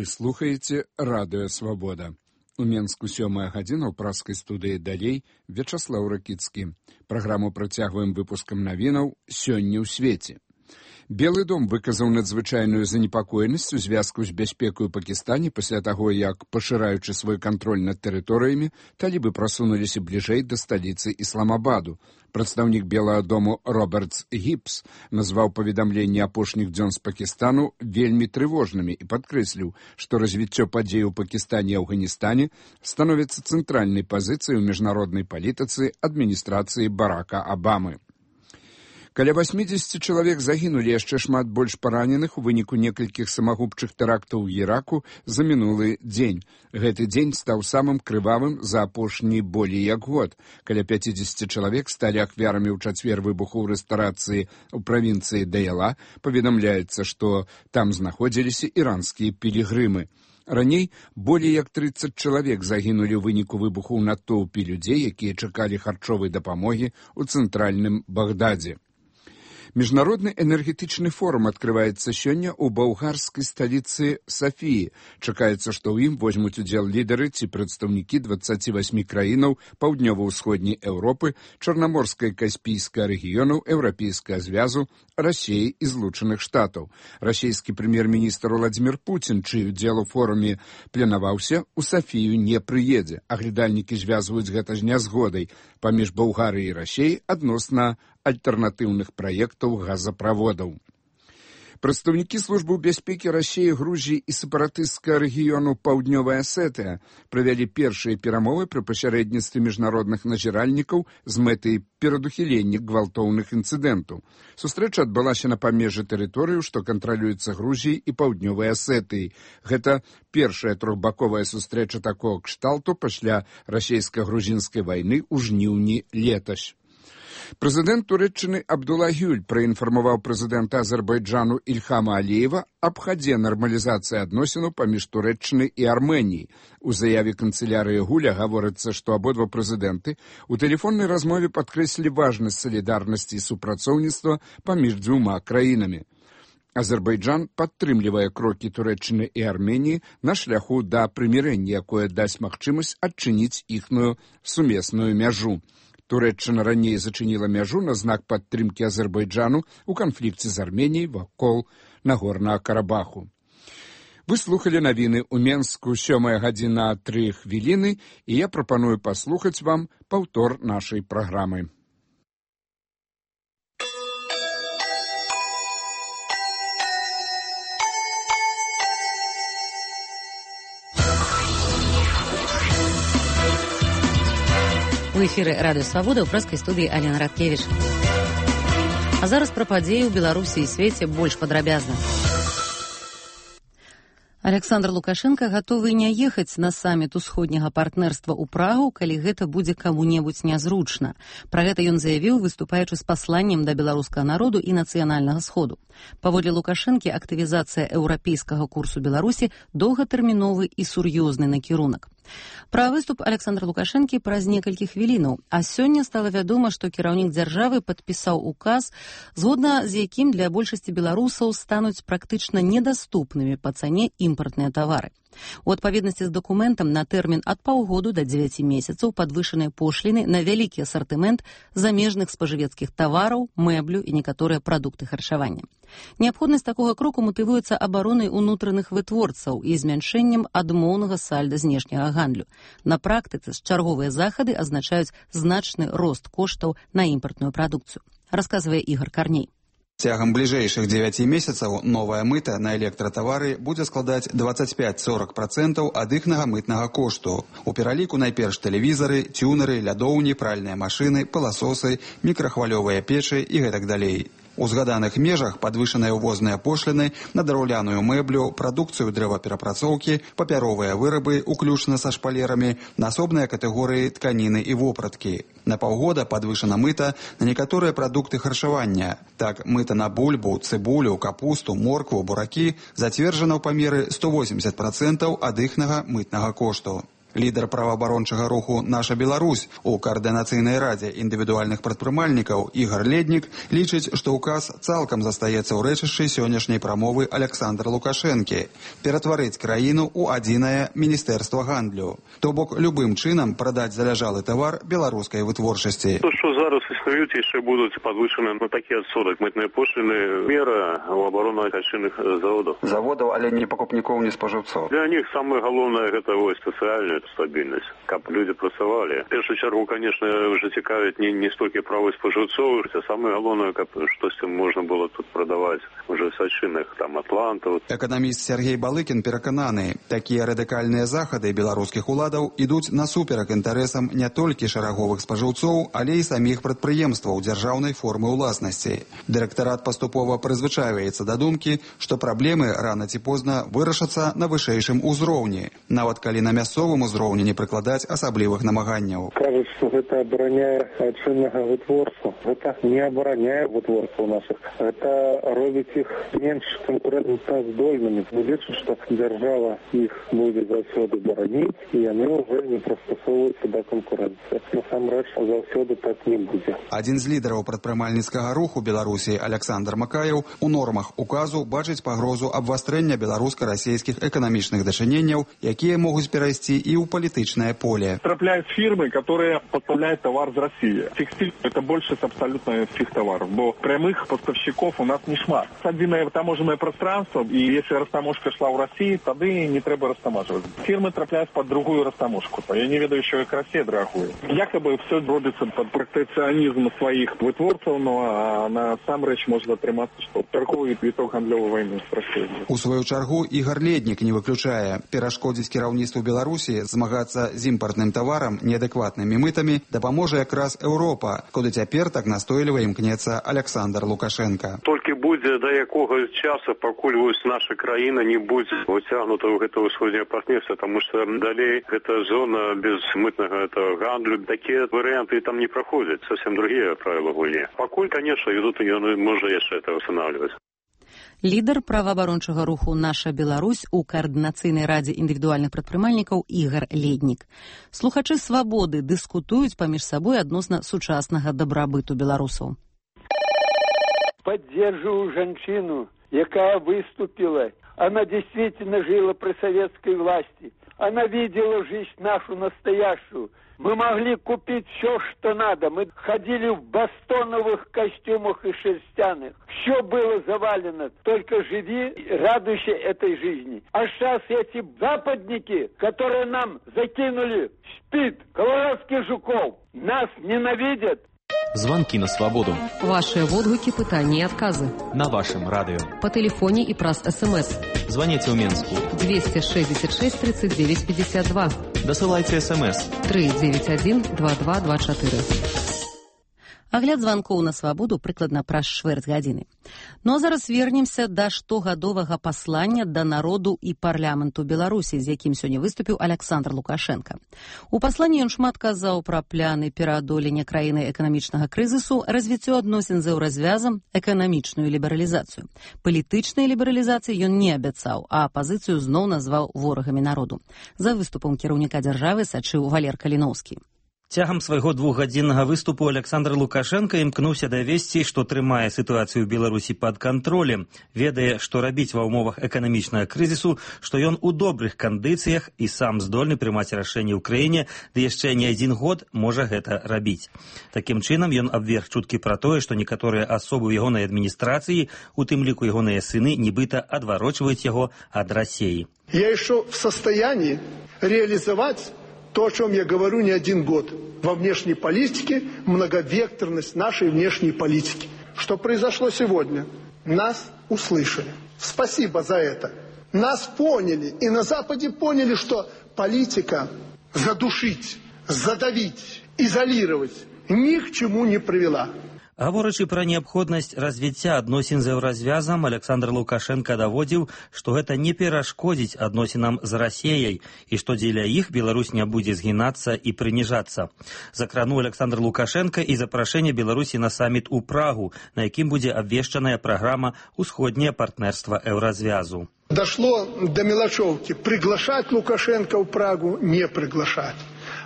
Вы слухаеце радыё «Свабода». У Менску 7 гадзіна ў праскай студыі «Далей» Вячаслаў Ракіцкі. Праграму працягваем выпускам навінаў «Сёння ў свеце». Белы дом выказаў надзвычайную занепакоенасць у звязку з бяспекай у Пакістане пасля таго, як, пашыраючы свой кантроль над тэрыторыямі, талібы прасунуліся бліжэй да сталіцы Ісламабаду. Прадстаўнік Белага дому Робертс Гіпс назваў паведамленні апошніх дзён з Пакістану вельмі трывожнымі і падкрэсліў, што развіццё падзей у Пакістане і Афганістане становіцца цэнтральнай пазіцыяй у міжнароднай палітыцы адміністрацыі Барака Абамы. Каля 80 чалавек загінулі, яшчэ шмат больш параненых у выніку некалькіх самагубчых тэрактаў у Іраку за мінулы дзень. Гэты дзень стаў самым крывавым за апошні болей як год. Каля 50 чалавек сталі ахвярамі ў чацвер выбуху ў рэстарацыі ў правінцыі Даяла. Паведамляецца, што там знаходзіліся іранскія пілігрымы. Раней болей як 30 чалавек загінулі ў выніку выбуху ў натоўпе людзей, якія чакалі харчовай дапамогі ў цэнтральным Багдадзе. Міжнародны энергетычны форум адкрываецца сёння ў балгарскай сталіцы Сафіі. Чакаецца, што ў ім возьмуць удзел лідары ці прадстаўнікі 28 краінаў паўднёва-ўсходняй Еўропы, Чарнаморскай Каспійскага рэгіёнаў, Еўрапейскага звязу, Расіі і Злучаных Штатаў. Расійскі прэм'ер-міністр Владзімір Пуцін, чый удзел у форуме планаваўся, у Сафію не прыедзе. Аглядальнікі звязваюць гэта з нязгодай паміж Балгарыяй і Расіяй адносна альтэрнатыўных праектаў газаправодаў. Прадстаўнікі службы бяспекі Расіі, Грузіі і сепаратысцкага рэгіёну Паўднёвая Асетыя правялі першыя перамовы пры пасярэдніцтве міжнародных назіральнікаў з мэтай перадухілення гвалтоўных інцыдэнтаў. Сустрэча адбылася на памежжы тэрыторыю, што кантралюецца Грузіяй і Паўднёвай Асетыяй. Гэта першая трохбаковая сустрэча такога кшталту пасля расійска-грузінскай вайны ў жніўні летась. Прэзідэнт Турэччыны Абдулла Гюль праінфармаваў прэзідэнта Азербайджану Ільхама Аліева аб хадзе нармалізацыі адносінаў паміж Турэччынай і Арменіяй. У заяве канцылярыі Гуля гаворыцца, што абодва прэзідэнты у тэлефоннай размове падкрэслілі важнасць салідарнасці і супрацоўніцтва паміж дзвюма краінамі. Азербайджан падтрымлівае крокі Турэччыны і Арменіі на шляху да прымірэння, якое дасць магчымасць адчыніць іхную сумесную мяжу. Турэччына раней зачыніла мяжу на знак падтрымкі Азербайджану ў канфлікце з Арменіяй вакол Нагорнага Карабаху. Вы слухалі навіны ў Менску 7 гадзіна 3 хвіліны, і я прапаную паслухаць вам паўтор нашай праграмы. У эфіры радыё «Свабода» ў праскай студыі Алена Радкевіч. А зараз пра падзеі ў Беларусі і свеце больш падрабязна. Александр Лукашенко гатовы не ехаць на саміт усходняга партнерства ў Прагу, калі гэта будзе каму-небудзь нязручна. Пра гэта ён заявіў, выступаючы з пасланнем да беларускага народу і нацыянальнага сходу. Паводле Лукашэнкі, актывізацыя еўрапейскага курсу Беларусі доўгатэрміновы і сур'ёзны накірунак. Пра выступ Александра Лукашэнкі праз некалькі хвілінаў, а сёння стала вядома, што кіраўнік дзяржавы падпісаў указ, згодна з якім для большасці беларусаў стануць практычна недаступнымі па цане імпартныя тавары. У адпаведнасці з дакументам на тэрмін ад паўгоду да 9 месяцаў падвышаныя пошліны на вялікі асартымент замежных спажывецкіх тавараў, мэблю і некаторыя прадукты харчавання. Неабходнасць такога кроку матывуецца абаронай унутраных вытворцаў і змяншэннем адмоўнага сальда знешняга гандлю. На практыцы чарговыя захады азначаюць значны рост коштаў на імпартную прадукцыю, расказвае Ігор Карней. Цягам бліжэйшых 9 месяцаў новая мыта на электратавары будзе складаць 25-40% ад іхнага мытнага кошту. У пераліку найперш тэлевізары, цюнеры, лядоўні, пральныя машыны, пыласосы, мікрахвалёвыя печы і гэтак далей. У згаданых межах падвышаныя ўвозныя пошліны на драўляную мэблю, прадукцыю дрэваперапрацоўкі, папяровыя вырабы, уключна са шпалерамі, на асобныя катэгорыі тканіны і вопраткі. На паўгода падвышана мыта на некаторыя прадукты харчавання. Так, мыта на бульбу, цыбулю, капусту, моркву, буракі зацверджана ў памеры 180% ад іхнага мытнага кошту. Лідар праваабарончага руху «Наша Беларусь» у Коаардынацыйнай радзе індывідуальных прадпрымальнікаў Ігар Леднік лічыць, што ўказ цалкам застаецца ў рэчышчы сённяшняй прамовы Александра Лукашэнкі ператварыць краіну ў адзінае міністэрства гандлю. То бок любым чынам прадаць заляжалы тавар беларускай вытворчасці. То, што зараз існуюць, яшчэ будуць падвышаны на такі адсотак мытныя пошліны, мера ў абарону айчынных заводаў, але не пакупнікоў, не спажыўцоў. Для них самае галоўнае гэта сацыяльная стабільнасць, каб людзі працавалі. В першую чаргу, конечно, уже цікавіць не столькі правы спажыўцоў, а самае галоўнае, каб штосьці можна было тут прадаваць уже з айчынных атлантаў. Эканаміст Сергей Балыкін перакананы, такія радыкальныя захады беларускіх уладаў ідуць насуперак інтарэсам не толькі шараговых спажыўцоў, але і саміх прадпрыемстваў дзяржаўнай формы ўласнасці. Дырэктарат паступова прызвычайваецца да думкі, што праблемы рана ці позна вырашацца на вышэйшым узроўні, нават калі на мясцовым узроўні не прыкладаць асаблівых намаганняў. Кажуць, што гэта абараняе айчыннага вытворцу. Гэта не абараняе вытворцаў нашых. Гэта робіць іх менш канкурэнтаздольнымі. Лічу, што дзяржава іх будзе заўсёды бараніць, і яны ўжо не прыстасоўваюцца да канкурэнцыі. Насамрэч, заўсёды так не будзе. Адзін з лідараў прадпрымальніцкага руху Беларусі Александр Макаеў у нормах указу бачыць пагрозу абвастрэння беларуска-расійскіх эканамічных дачыненняў, якія могуць перайсці і ў палітычнае поле. Трапляют фирмы, которые поставляют товар из России. Текстиль – это больше абсолютно всех товаров, бо прямых поставщиков у нас не шмат. Отдельное таможенное пространство, и если растаможка шла в России, тогда не треба растамаживать. Фирмы трапляют под другую растаможку. Я не ведаю, еще как Россия драгует. Якобы все робится под протекционизм своих вытворцев, но на сам речь можно отриматься, что торговый виток гандлевой войны с Россией. У свою чаргу Ігар Леднік не выключае. Перашкодзіць кіраўніцтву Беларусі змагацца з імпартным таварам неадэкватнымі мытамі дапаможа якраз Еўропа, куды цяпер так настойліва імкнецца Александр Лукашенко. Толькі будзе да якога часу, пакуль наша краіна не будзе уцягнута ў гэта ўсходняе партнерства, таму што далей гэта зона без мытнага гандлю, такія варыянты там не праходзяць, совсем другія правілы гульні. Пакуль, конечно, ідут, і ён можа яшчэ это устанавливаць. Лідар праваабарончага руху «Наша Беларусь» у Коаардынацыйнай радзе індывідуальных прадпрымальнікаў Ігар Леднік. Слухачы «Свабоды» дыскутуюць паміж сабой адносна сучаснага дабрабыту беларусаў. Поддерживаю женщину, якая выступила. Она действительно жила при советской власти. Она видела жизнь нашу настоящую. Мы могли купить все, что надо. Мы ходили в бастоновых костюмах и шерстяных. Все было завалено. Только живи, радуйся этой жизни. А сейчас эти западники, которые нам закинули СПИД, колорадских жуков, нас ненавидят. Звонки на свободу. Ваши отгуки, пытания и отказы. На вашем радио. По телефоне и праз СМС. Звоните в Минску. 266 39 52. Досылайте СМС. 391-2224. Агляд званкоў на свабоду прыкладна праз чвэрць гадзіны. Ну а зараз вернемся да штогадовага паслання да народу і парламенту Беларусі, з якім сёння выступіў Александр Лукашенко. У пасланні ён шмат казаў пра пляны пераадолення краіны эканамічнага крызісу, развіццё адносін з еўразвязам, эканамічную лібералізацыю. Палітычнай лібералізацыі ён не абяцаў, а апазіцыю зноў назваў ворагамі народу. За выступам кіраўніка дзяржавы сачыў Валер Каліноўскі. Цягам свайго двухгадзіннага выступу Александр Лукашенко імкнуўся давесці, што трымае сітуацыю ў Беларусі пад кантролем, ведае, што рабіць ва ўмовах эканамічнага крызісу, што ён у добрых кандыцыях і сам здольны прымаць рашэнні ў краіне, ды яшчэ не адзін год можа гэта рабіць. Такім чынам ён абверг чуткі пра тое, што некаторыя асобы ў ягонай адміністрацыі, у тым ліку ягоныя сыны, нібыта адварочваюць яго ад России. Я еще в состоянии реализовать то, о чем я говорю не один год. Во внешней политике многовекторность нашей внешней политики. Что произошло сегодня? Нас услышали. Спасибо за это. Нас поняли. И на Западе поняли, что политика задушить, задавить, изолировать ни к чему не привела. Гаворачы пра неабходнасць развіцця адносін з еўразвязам, Александр Лукашенко даводзіў, што гэта не перашкодзіць адносінам з Расіяй і што дзеля іх Беларусь не будзе згінацца і прыніжацца. Закрануў Александр Лукашенко і запрашэнне Беларусі на саміт у Прагу, на якім будзе абвешчаная праграма «Усходняе партнерства еўразвязу». Дошло до мелочевки. Приглашать Лукашенко в Прагу, не приглашать.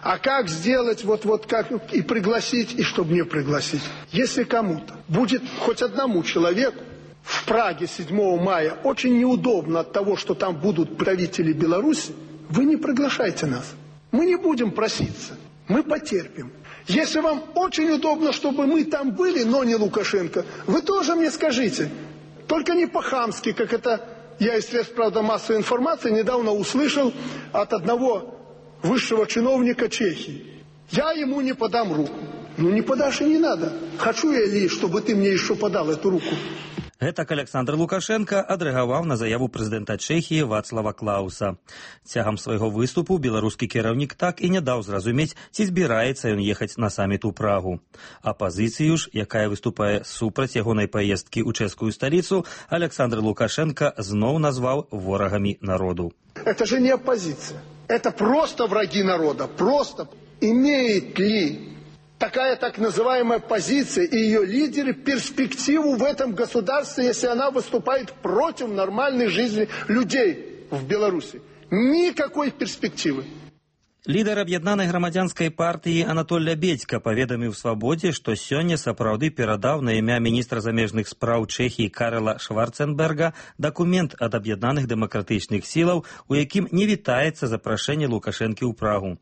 А как сделать, как и пригласить, и чтобы не пригласить? Если кому-то будет хоть одному человеку в Праге 7 мая очень неудобно от того, что там будут правители Беларуси, вы не приглашайте нас. Мы не будем проситься. Мы потерпим. Если вам очень удобно, чтобы мы там были, но не Лукашенко, вы тоже мне скажите. Только не по-хамски, как это я из средств, правда, массовой информации недавно услышал от одного высшего чиновника Чехии. Я ему не подам руку. Ну не подашь и не надо. Хочу я ли, чтобы ты мне еще подал эту руку? Гэтак Александр Лукашенко адрэагаваў на заяву прэзідэнта Чэхіі Вацлава Клауса. Цягам свайго выступу беларускі кіраўнік так і не даў зразумець, ці збіраецца ён ехаць на саміт у Прагу. Апазіцыю ж, якая выступае супраць ягонай паездкі ў чэшскую сталіцу, Александр Лукашенко зноў назваў ворагамі народу. Это же не оппозиция. Это просто враги народа. Просто. Имеет ли такая так называемая позиция и ее лидеры перспективу в этом государстве, если она выступает против нормальной жизни людей в Беларуси? Никакой перспективы. Лідар аб'яднанай грамадзянскай партыі Анатоль Лябедзька паведаміў «Свабодзе», што сёння сапраўды перадаў на імя міністра замежных спраў Чэхіі Карла Шварценберга дакумент ад аб'яднаных дэмакратычных сілаў, у якім не вітаецца запрашэнне Лукашэнкі ў Прагу.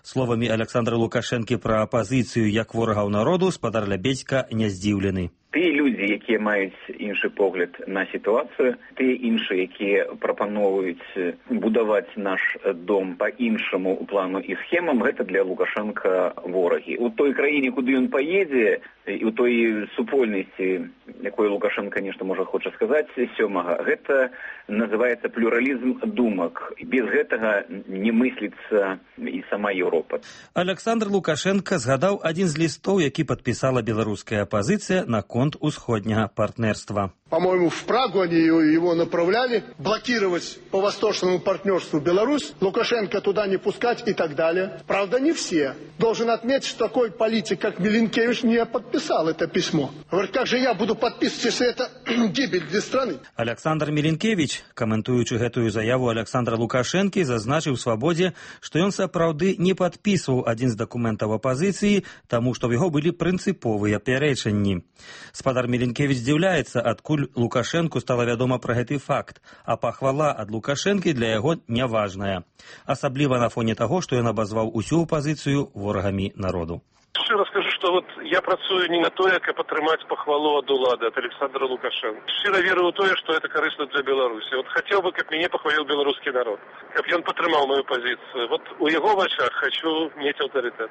Словамі Александра Лукашэнкі пра апазіцыю як ворагаў народу спадар Лябедзька не здзіўлены. Тыя людзі, якія маюць іншы погляд на сітуацыю, тыя іншыя, якія прапаноўваюць будаваць наш дом па іншаму плану і схемам, гэта для Лукашенка ворагі. У той краіне, куды ён паедзе, і у той супольнасці, якой Лукашенко нешта можа хоча сказаць сёмага, гэта называецца плюралізм думак. Без гэтага не мысліцца і сама Еўропа. Александр Лукашенко згадаў адзін з лістоў, які падпісала беларуская апазіцыя на конт усходняга партнерства. По-моему, в Прагу они его направляли, блокировать по восточному партнерству Беларусь, Лукашенко туда не пускать и так далее. Правда, не все. Должен отметить, что такой политик, как Миленкевич, не подписал это письмо. Говорит, как же я буду подписывать, если это гибель для страны? Александр Миленкевич, каментуючы гэтую заяву Александра Лукашэнкі, зазначыў «Свабодзе», што ён сапраўды не падпісваў адзін з дакументаў апазіцыі, таму што ў яго былі прынцыповыя пярэчанні. Спадар Миленкевич здзіўляецца, адкуль Лукашенку стала вядома пра гэты факт, а пахвала ад Лукашэнкі для яго няважная. Асабліва на фоне таго, што ён абазваў усю апазіцыю ворагамі народу. Шчыра скажу, што я працую не на тое, каб атрымаць пахвалу ад улады, ад Александра Лукашенко. Шчыра веру ў тое, што это карысна для Беларусі. Хацеў бы, каб мяне пахваліў беларускі народ, каб ён падтрымаў маю пазіцыю. У яго вачах хачу мець аўтарытэт.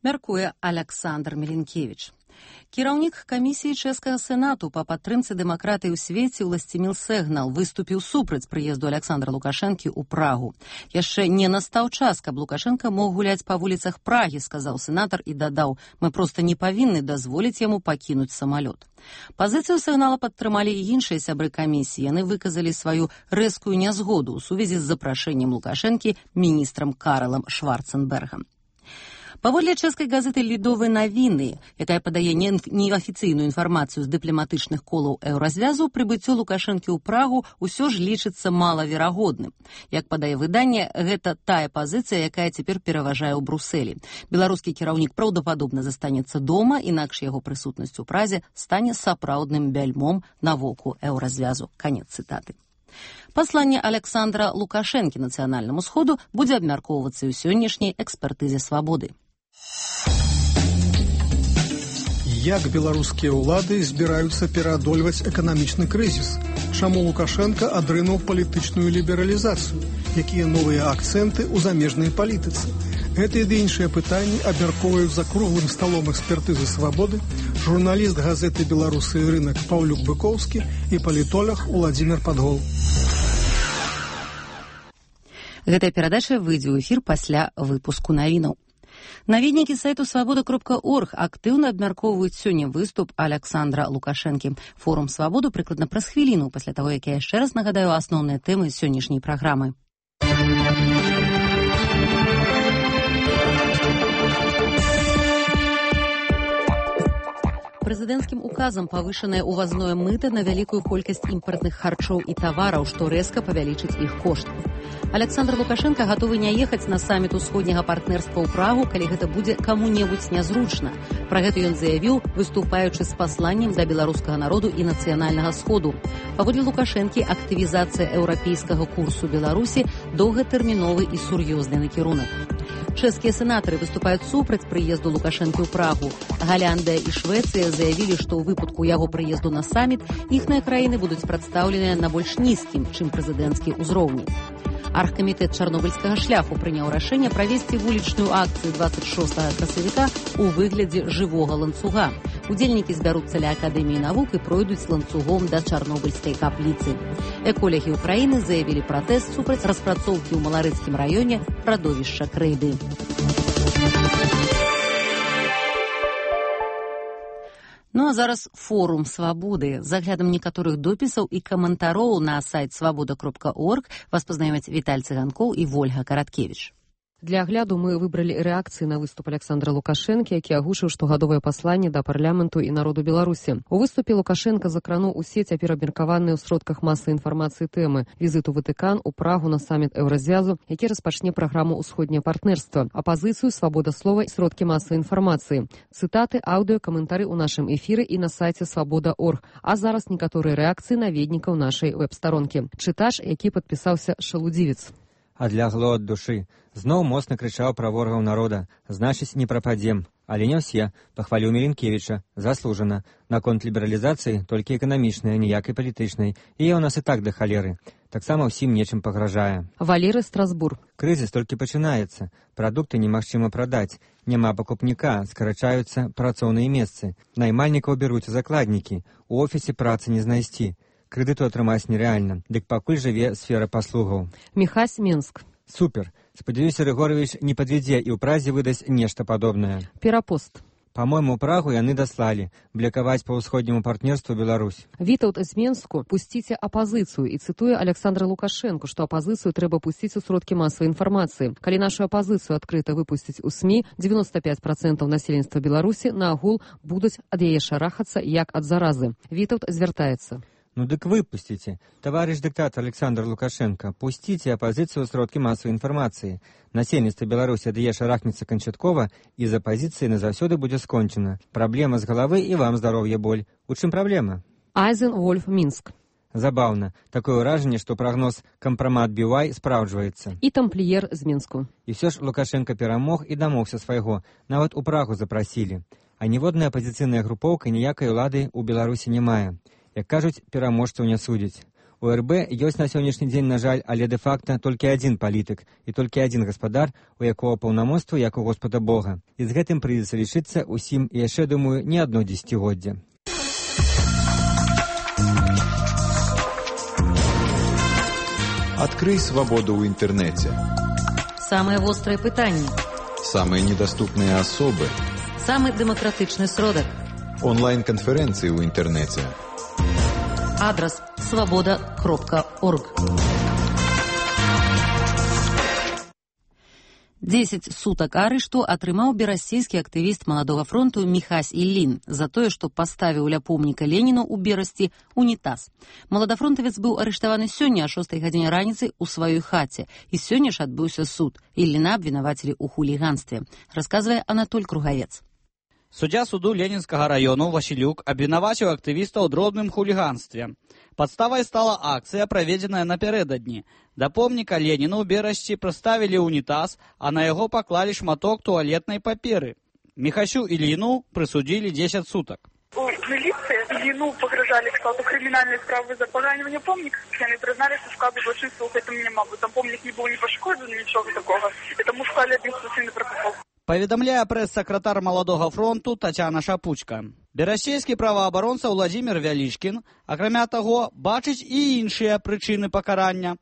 Мяркуе Александр Миленкевич. Кіраўнік камісіі чэшскага сенату па падтрымцы дэмакратыі ў свеце Уласціміл Сегнал выступіў супраць прыезду Александра Лукашэнкі ў Прагу. Яшчэ не настаў час, каб Лукашенка мог гуляць па вуліцах Прагі, сказаў сенатар і дадаў, мы проста не павінны дазволіць яму пакінуць самалёт. Пазіцыю Сегнала падтрымалі і іншыя сябры камісіі. Яны выказалі сваю рэзкую нязгоду ў сувязі з запрашэннем Лукашэнкі міністрам Карлам Шварценбергам. Паводле чэшскай газеты «Лідовыя навіны», якая падае неафіцыйную інфармацыю з дыпламатычных колаў еўразвязу, прыбыццё Лукашэнкі ў Прагу ўсё ж лічыцца малаверагодным. Як падае выданне, гэта тая пазіцыя, якая цяпер пераважае ў Брусэлі. Беларускі кіраўнік праўдападобна застанецца дома, інакш яго прысутнасць у Празе стане сапраўдным бяльмом на воку еўразвязу. Канец цытаты. Пасланне Александра Лукашэнкі нацыянальнаму сходу будзе абмяркоўвацца ў сённяшняй экспертызе «Свабоды». Як беларускія ўлады збіраюцца пераадольваць эканамічны крызіс? Чаму Лукашенко адрынуў палітычную лібералізацыю? Якія новыя акцэнты ў замежнай палітыцы? Гэтыя ды іншыя пытанні абмяркоўваюць за круглым сталом экспертызы «Свабоды» журналіст газеты «Беларусы і рынак» Паўлюк Быкоўскі і палітолог Уладзімір Падгол. Гэтая перадача выйдзе ў эфір пасля выпуску навінаў. Наведнікі сайту «Свабода.орг» актыўна абмяркоўваюць сёння выступ Александра Лукашэнкі. Форум «Свабоду» прыкладна праз хвіліну пасля таго, як я яшчэ раз нагадаю асноўныя тэмы сённяшняй праграмы. Прэзідэнцкім указам павышанае ўвазное мыта на вялікую колькасць імпартных харчоў і тавараў, што рэзка павялічыць іх кошт. Александр Лукашенко гатовы не ехаць на саміт усходняга партнерства ў Прагу, калі гэта будзе каму-небудзь нязручна. Пра гэта ён заявіў, выступаючы з пасланнем да беларускага народу і нацыянальнага сходу. Паводле Лукашэнкі, актывізацыя еўрапейскага курсу Беларусі доўгатэрміновы і сур'ёзны накірунак. Чэшскія сенатары выступаюць супраць прыезду Лукашэнкі ў Прагу. Галяндыя і Швецыя заявілі, што ў выпадку яго прыезду на саміт іхныя краіны будуць прадстаўленыя на больш нізкім, чым прэзідэнцкі ўзроўні. Аргкамітэт чарнобыльскага шляху прыняў рашэнне правесці вулічную акцыю 26 красавіка ў выглядзе жывога ланцуга. Удзельнікі збяруцца ля Акадэміі навук і пройдуць ланцугом да чарнобыльскай капліцы. Эколагі ўкраіны заявілі пратэст супраць распрацоўкі ў Маларыцкім раёне радовішча крэйды. Ну а зараз форум свабоды. З аглядам некаторых допісаў і каментароў на сайт свабода.орг вас пазнаёмяць Віталь Цыганкоў і Вольга Караткевіч. Для агляду мы выбралі рэакцыі на выступ Александра Лукашэнкі, які агучыў штогадовае пасланне да парламенту і народу Беларусі. У выступе Лукашенка закрануў усе цяпер абмеркаваныя ў сродках масавай інфармацыі тэмы: візіт у Ватыкан, у Прагу на саміт Еўразвязу, які распачне праграму «Усходняе партнерства», апазіцыю, свабода слова і сродкі масавай інфармацыі. Цытаты, аўдыё, каментары ў нашым эфіры і на сайце свабода.орг. А зараз некаторыя рэакцыі наведнікаў нашай вэб-старонкі. Чытач, які падпісаўся Шалудзівец. Адлягло ад душы. Зноў моцна крычаў пра ворагаў народа. Значыць, не прападзем. Але не ўсе. Пахваліў Міленкевіча. Заслужана. Наконт лібералізацыі толькі эканамічнай, ніякай палітычнай. І у нас і так да халеры. Таксама ўсім нечым пагражае. Валерый Страсбург. Крызіс толькі пачынаецца. Прадукты немагчыма прадаць. Няма пакупніка, скарачаюцца працоўныя месцы. Наймальнікаў бяруць закладнікі. У офісе працы не знайсці. Крэдыту атрымаць нерэальна. Дык пакуль жыве сфера паслугаў. Міхась, Менск. Супер. Спадзяюся, Рыгорович не падвядзе і ў празе выдасць нешта падобнае. Перапост. Па-мойму, Прагу яны даслалі. Блякаваць па ўсходняму партнерству Беларусь. Вітаўт з Менску. Пусціце апазіцыю. І цытуе Александра Лукашэнку, што апазіцыю трэба пусціць у сродкі масавай інфармацыі. Калі нашу апазіцыю адкрыта выпусціць у СМІ, 95% насельніцтва Беларусі на агул будуць ад яе шарахацца як ад заразы. Вітаўт звяртаецца. Ну дык выпусціце. Таварыш дыктатор Александр Лукашенко, пусціце апазіцыю ў сродкі масавай інфармацыі. Насельніцтва Беларусі ад яе шарахнецца канчаткова, і з апазіцыі назаўсёды будзе скончана. Праблема з галавы і вам здароўе боль. У чым праблема? Айзен Вольф, Мінск. Забаўна. Такое ўражанне, што прагноз кампрамат BY спраўджваецца. І тампліер з Мінску. І ўсё ж Лукашенко перамог і дамогся свайго. Нават у Прагу запрасілі. А ніводная апазіцыйная групоўка ніякай улады ў Беларусі не мае. Як кажуць, пераможцаў не судзяць. У РБ ёсць на сённяшні дзень, на жаль, але дэ-факта толькі адзін палітык і толькі адзін гаспадар, у якога паўнамоцтва як у Господа Бога. І з гэтым прыйдзецца лічыцца ўсім і яшчэ, думаю, не адно дзесяцігоддзе. Открый свободу ў інтэрнэце. Самыя вострыя пытанні. Самыя недаступныя асобы. Самы дэмакратычны сродак. Онлайн-канферэнцыі ў інтэрнэце. Адрес свобода.орг. 10 сутак арышту атрымаў берасцейскі актывіст маладога фронту Міхась Іллін за тое, што паставіў ля помніка Леніну ў Берасці унітаз. Маладафронтавец быў арыштаваны сёння о 6 гадзіне раніцы ў сваёй хаце. І сёння ж адбыўся суд. Ілліна абвінавацілі ў хуліганстве. Расказвае Анатоль Кругавец. Суддзя суду Ленінскага раёну Васілюк абвінаваціў актывіста ў дробным хуліганстве. Падставай стала акцыя, праведзеная напярэдадні. Да помніка Леніну ў Берасці прыставілі ўнітаз, а на яго паклалі шматок туалетнай паперы. Міхасю Ілліну прысудзілі 10 сутак. У милиции Ильину погрожали к складу криминальной справы за поранение помника. Они признали, что складу злочинства в этом не могут. Там помник не был ни пошкоджен, ничего такого. Этому сказали административный протокол. Паведамляе прэс-сакратар Маладога фронту Тацяна Шапучка. Берасцейскі праваабаронца Владзімір Вялічкін, акрамя таго, бачыць і іншыя прычыны пакарання.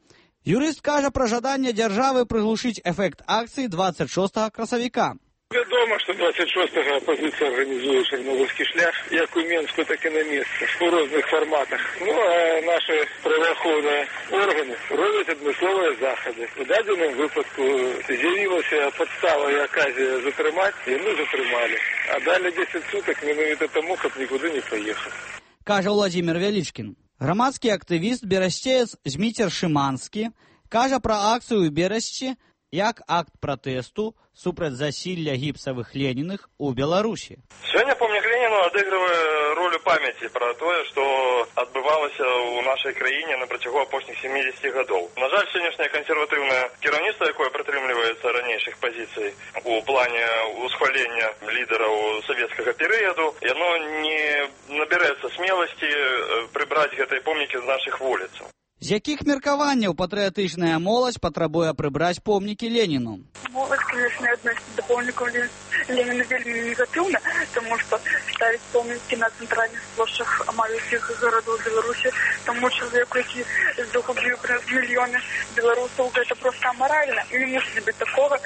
Юрыст кажа пра жаданне дзяржавы прыглушыць эфект акцыі 26 красавіка. Вядома, што 26-го апазіцыя арганізуе чарнобыльскі шлях як у Менску, так і на месцы у розных фарматах. Ну, а наши праваахоўныя органы робяць адмысловыя захады. У дадзеным выпадку з'явілася падстава і аказія затрымаць, і мы затрымалі. А далі 10 сутак менавіта таму, каб нікуды не паехаць. Кажа Владимир Вялічкін. Грамадскі актывіст берасчеец Зміцер Шыманскі кажа пра акцыю ў Берасці як акт пратэсту супраць засілля гіпсавых Леніных у Беларусі. Сёння помнік Леніну адыгрывае ролю памяці пра тое, што адбывалася ў нашай краіне на працягу апошніх 70 гадоў. На жаль, сённяшняе кансерватыўнае кіраўніцтва, якое прытрымліваецца ранейшых пазіцый у плане усхвалення лідараў савецкага перыяду, яно не набярэцца смеласці прыбраць гэтыя помнікі з нашых вуліцаў. З якіх меркаванняў патрыятычная моладзь патрабуе прыбраць помнікі Леніну? Моладзь, конечно, адносіць да помнікаў Леніна вельмі негатыўна, тому што ставіць помнікі на цэнтральных плошчах амаль усіх гарадоў Беларусі таму чалавеку, які загубіў праз мільёны беларусаў, гэта проста амаральна. І не мусіць быць такога,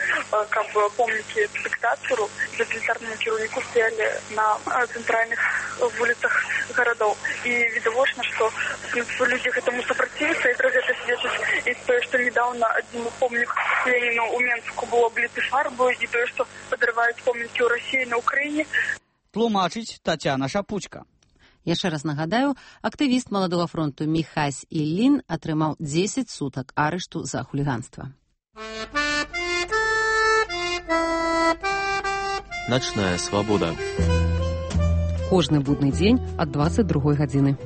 каб помнікі дыктатару, тоталітарнаму кіраўніку стаялі на цэнтральных вуліцах гарадоў. І відавочна, што людзі гэтаму супраціўляцца, і пра гэта сведчыць і тое, што недаўна адзін помнік Леніну ў Менску быў абліты фарбою, і тое, што падрываюць помнікі ў Расіі на Ўкраіне. Тлумачыць Тацяна Шапучка. Яшчэ раз нагадаю, актывіст Маладога фронту Міхась Іллін атрымаў 10 сутак арышту за хуліганства. Начная свабода. Кожны будны дзень ад 22 гадзіны.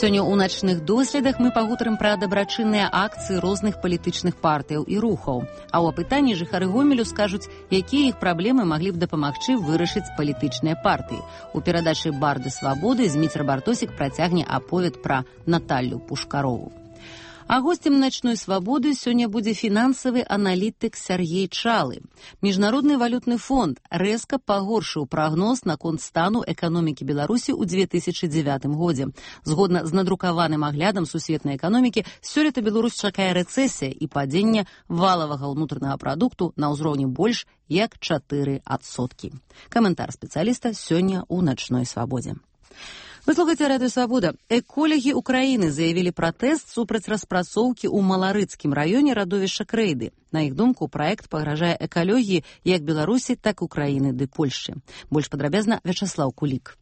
Сёння ў начных доследах мы пагутарым пра дабрачынныя акцыі розных палітычных партыяў і рухаў. А ў апытанні жыхары Гомелю скажуць, якія іх праблемы маглі б дапамагчы вырашыць палітычныя партыі. У перадачы «Барды свабоды» Зміцер Бартосік працягне аповед пра Наталлю Пушкарову. А гостем «Начной свабоды» сёння будзе фінансавы аналітык Сяргей Чалы. Міжнародны валютны фонд рэзка пагоршыў прагноз наконт стану эканомікі Беларусі ў 2009 годзе. Згодна з надрукаваным аглядам сусветнай эканомікі, сёлета Беларусь чакае рэцэсія і падзення валавага ўнутранага прадукту на ўзроўні больш як 4%. Каментар спецыяліста сёння ў «Начной свабодзе». Вы слухаеце радыё «Свабода». Эколагі Украіны заявілі пратэст супраць распрацоўкі ў Маларыцкім раёне радовішча Крэйды. На іх думку, праект пагражае экалогіі як Беларусі, так і Украіны ды Польшчы. Больш падрабязна Вячаслаў Кулік.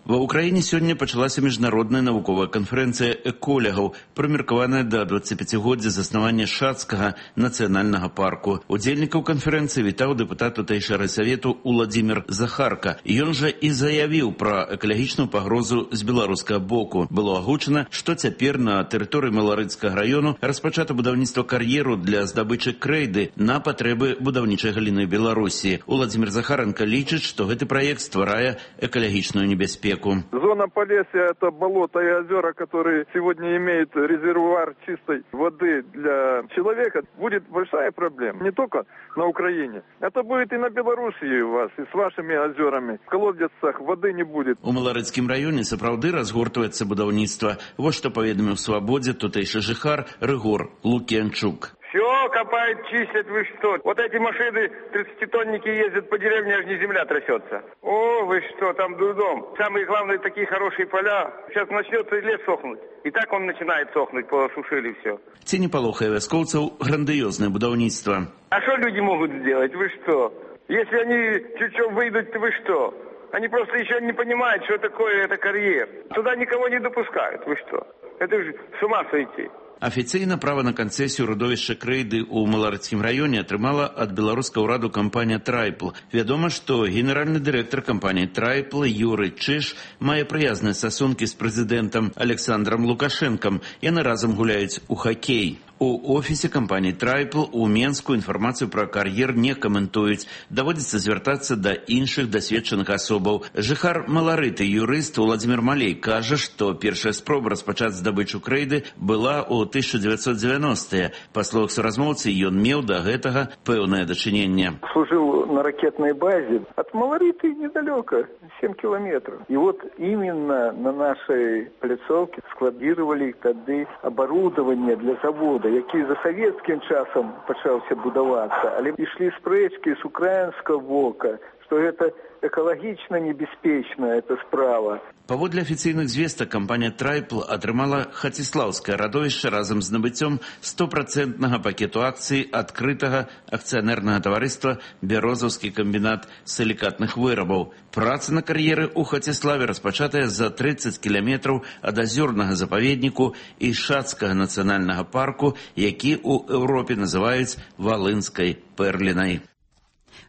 Ва ўкраіне сёння пачалася міжнародная навуковая канферэнцыя эколягаў, прымеркаваная да 25годдзя заснавання Шацкага нацыянальнага парку. Удзельнікаў канферэнцыі вітаў дэпутат тутэйшага райсавету Уладзімір Захарка. Ён жа і заявіў пра экалагічную пагрозу з беларускага боку. Было агучана, што цяпер на тэрыторыі Маларыцкага раёну распачата будаўніцтва кар'еру для здабычы крэйды на патрэбы будаўнічай галіны Беларусі. Уладзімір Захаренко лічыць, што гэты праект стварае экалагічную небяспеку. Зона Полесья – это болото и озера, которые сегодня имеют резервуар чистой воды для человека. Будет большая проблема. Не только на Украине. Это будет и на Белоруссии у вас, и с вашими озерами. В колодцах воды не будет. У Маларыцкім раёне сапраўды разгортваецца будаўніцтва. Вот што паведаміў «Свабодзе» тутэйшы жыхар Рыгор Лук'янчук. Все копают, чистят, вы что? Вот эти машины, 30-тонники ездят по деревне, аж не земля трясется. О, вы что, там дурдом. Самые главные такие хорошие поля. Сейчас начнется и лес сохнуть. И так он начинает сохнуть, посушили все. Ці не палохае вяскоўцаў грандыёзнае будаўніцтва. А что люди могут сделать? Вы что? Если они чуть-чуть выйдут, то вы что? Они просто еще не понимают, что такое это карьер. Туда никого не допускают. Вы что? Это же с ума сойти. Афіцыйна права на канцэсію радовішча Крэйды ў Маларыцкім раёне атрымала ад беларускага ўраду кампанія «Трайпл». Вядома, што генеральны дырэктар кампаніі «Трайпл» Юрый Чыш мае прыязныя стасункі з прэзідэнтам Александром Лукашэнкам. Яны разам гуляюць у хакей. У офісе кампаніі «Трайпл» у Менску інфармацыю пра кар'ер не каментуюць. Даводзіцца звяртацца да іншых дасведчаных асобаў. Жыхар Маларыты, юрыст Уладзімір Малей, кажа, што першая спроба распачаць здабычу Крэйды была ў 1990-е. Па словах суразмоўцы, ён меў да гэтага пэўнае дачыненне. Служил на ракетной базе. От Малариты недалеко, 7 километров. И вот именно на нашей пляцовке складировали тогда оборудование для завода. свабода, які за савецкім часам пачаўся будавацца, але ішлі спрэчкі з украінскага бока, што гэта экалагічна небяспечная эта справа. Паводле афіцыйных звестак, кампанія «Трайпл» атрымала Хаціслаўскае радовішча разам з набыццём 100% пакету акцый адкрытага акцыянернага таварыства «Бярозаўскі камбінат сілікатных вырабаў». Праца на кар'еры ў Хаціславе распачатая за 30 кіламетраў ад азёрнага запаведніку і Шацкага нацыянальнага парку, які ў Еўропе называюць Валынскай пэрлінай.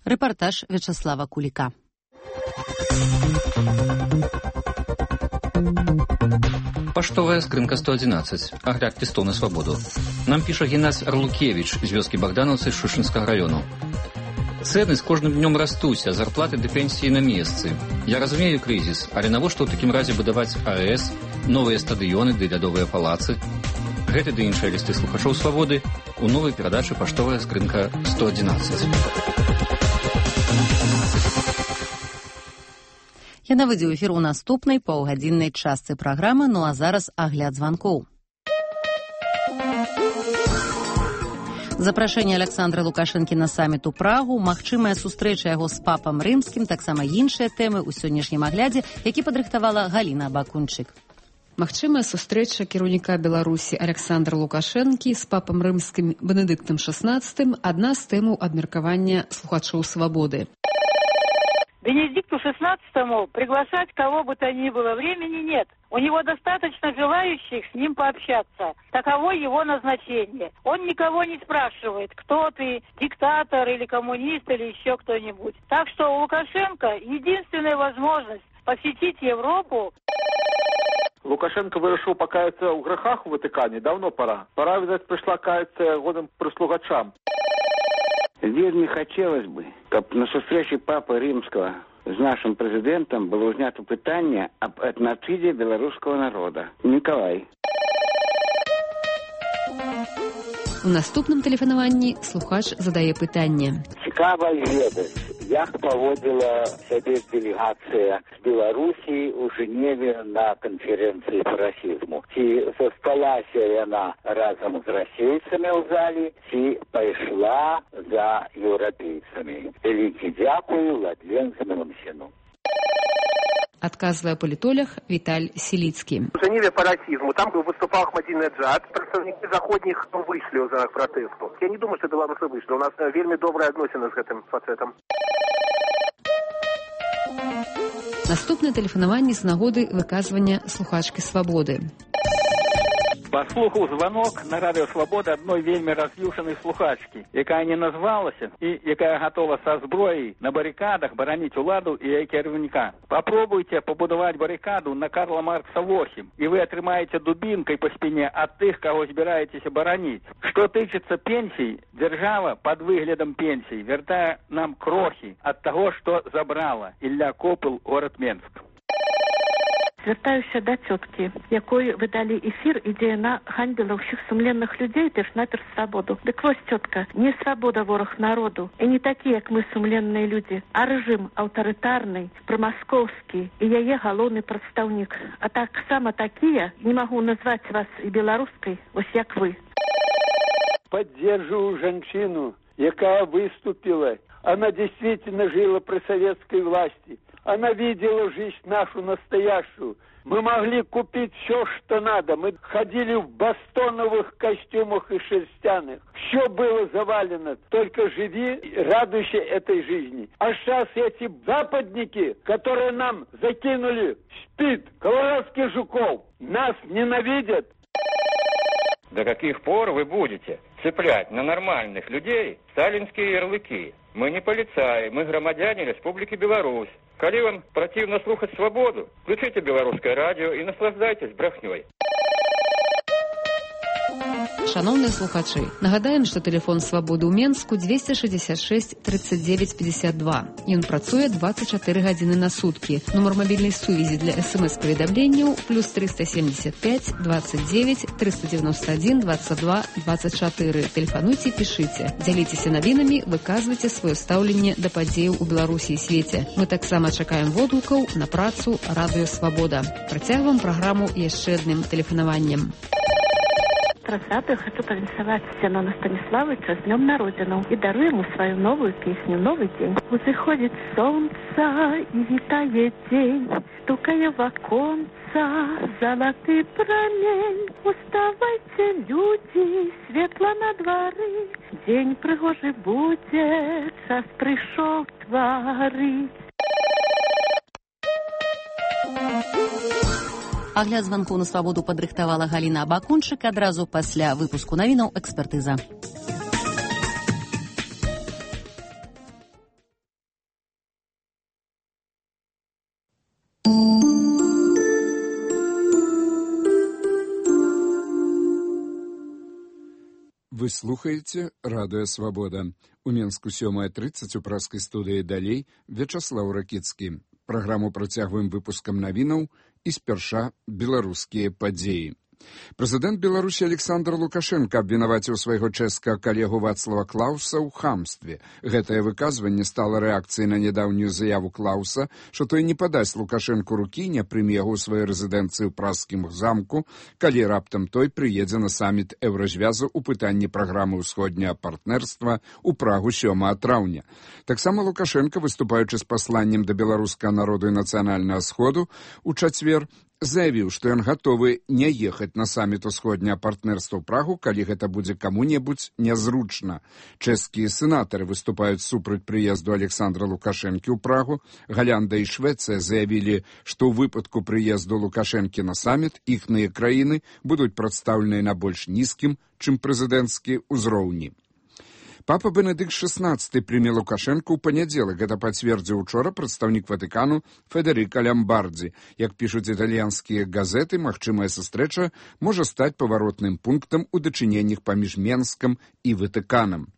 Рэпартаж Вячаслава Куліка. Паштовая скрынка 111. Агляд лістоў на свабоду. Нам піша Геннадзь Арлукевіч з вёскі Богдановцы Шушынскага раёну. Цэны з кожным днём растуць, а зарплаты ды пенсіі на месцы. Я разумею крызіс, але навошта ў такім разе будаваць АЭС, новыя стадыёны ды лядовыя палацы? Гэты ды іншыя лісты слухачоў свабоды у новай перадачы «Паштовая скрынка 111». Яна выйдзе ў эфір у наступнай паўгадзіннай частцы праграмы, ну а зараз агляд званкоў. Запрашэнне Александра Лукашэнкі на саміт у Прагу, магчымая сустрэча яго з папам рымскім, таксама іншыя тэмы ў сённяшнім аглядзе, які падрыхтавала Галіна Бакунчык. Магчымая сустрэча кіраўніка Беларусі Александра Лукашэнкі з папам рымскім Бенедыктам XVI – адна з тэмаў абмеркавання слухачоў свабоды. Бенедикту XVI приглашать кого бы то ни было времени нет. У него достаточно желающих с ним пообщаться. Таково его назначение. Он никого не спрашивает, кто ты, диктатор или коммунист или еще кто-нибудь. Так что у Лукашенко единственная возможность посетить Европу. Лукашенко вырашыў пакаяцца ў грахах у Ватыкане. Давно пора. Пора, видать, пришла каяться годам прислугачам. Вельми хотелось бы, каб на сустрэчы папы рымского с нашим президентом было снято пытанне об этноциде белорусского народа. Николай. У наступным тэлефанаванні слухач задае пытанне. Цікава ведаць, як паводзіла сябе делегацыя з Беларусі ў Женеве на канферэнцыі па расізму. Ці засталася яна разам з расейцамі ў залі, ці пайшла за еўрапейцамі. Вялікі дзякую Ладленскаму сыну. Отказывая политолог Виталь Селицкий. В Женеве по расизму. Там выступал Ахмадинеджад. Представники заходних вышли за протесту. Я не думаю, что белорусы вышли. У нас вельми добрые отношения с этим фацетом. Наступне тэлефанаванне з нагоды выказвання слухачкі свабоды. Паслухаў званок на радыё «Свабода» адной вельмі раз'юшанай слухачкі, якая не назвалася і якая гатова са зброяй на барыкадах бараніць уладу і яе кіраўніка. Папробуйце пабудаваць барыкаду на Карла Маркса 8, і вы атрымаеце дубінкай па спіне ад тых, каго збіраецеся бараніць. Што тычыцца пенсій, дзяржава пад выглядам пенсій вяртае нам крохі ад таго, што забрала Ілля Копыл, горад Менск. Звяртаюся да цёткі, якой вы далі эфір, ідзе яна ганьбіла ўсіх сумленных людзей, перш-наперш свабоду. Дык вось, цётка, не свабода вораг народу, і не такі, як мы сумленныя людзі, а рэжым аўтарытарны, прымаскоўскі і яе галоўны прадстаўнік. А таксама такія, не магу назваць вас і беларускай, вось як вы. Поддерживаю женщину, якая выступила. Она действительно жила при советской власти. Она видела жизнь нашу настоящую. Мы могли купить все, что надо. Мы ходили в бастоновых костюмах и шерстяных. Все было завалено. Только живи, радуйся этой жизни. А сейчас эти западники, которые нам закинули СПИД, колорадских жуков, нас ненавидят. До каких пор вы будете цеплять на нормальных людей сталинские ярлыки? Мы не полицаи, мы громадяне Республики Беларусь. Коли вам противно слухать свободу, включите белорусское радио и наслаждайтесь брехней. Шановныя слухачы, нагадаем, што тэлефон свабоды ў Менску 266 39 52. Ён працуе 24 гадзіны на суткі. Нумар мабільнай сувязі для СМС-паведамленняў +375 29 391 22 24. Тэлефануйце, пішыце. Дзяліцеся навінамі, выказвайце сваё стаўленне да падзеяў у Беларусі і свеце. Мы таксама чакаем водгукаў на працу радыё «Свабода». Працягваем праграму яшчэ адным тэлефанаваннем. 30-х хочу повинсовать Зенона Станиславовича с днем на родину и дарую ему свою новую песню «Новый день». Заходит солнце и витает день, стукая в оконца золотый промень. Уставайте, люди, светло на дворы, день пригожий будет, час пришел творить. Агляд званкоў на свабоду падрыхтавала Галіна Абакунчык адразу пасля выпуску навінаў экспертыза. Вы слухаеце радыё «Свабода». У Менску 7:30 у праскай студыі «Далей» Вячаслаў Ракіцкі. Праграму працягваем выпускам навінаў і спярша беларускія падзеі. Прэзідэнт Беларусі Александр Лукашенко абвінаваціў свайго чэшскага калегу Вацлава Клауса ў хамстве. Гэтае выказванне стала рэакцыяй на нядаўнюю заяву Клауса, што той не падасць Лукашенку рукі і не прыме яго ў сваёй рэзідэнцыі ў пражскім замку, калі раптам той прыедзе на саміт Еўразвязу ў пытанні праграмы ўсходняга партнерства ў Прагу 7 траўня. Таксама Лукашенко, выступаючы з пасланнем да беларускага народу і нацыянальнага сходу ў чацвер, заявіў, што ён гатовы не ехаць на саміт усходняга партнерства ў Прагу, калі гэта будзе каму-небудзь нязручна. Чэшскія сенатары выступаюць супраць прыезду Александра Лукашэнкі ў Прагу. Галлянда і Швецыя заявілі, што ў выпадку прыезду Лукашэнкі на саміт іхныя краіны будуць прадстаўленыя на больш нізкім, чым прэзідэнцкі ўзроўні. Папа Бенедыкт XVI прыме Лукашэнку ў панядзелак. Гэта пацвердзіў учора прадстаўнік Ватыкану Федэрыка Лямбардзі. Як пішуць італьянскія газеты, магчымая сустрэча можа стаць паваротным пунктам у дачыненнях паміж Менскам і Ватыканам.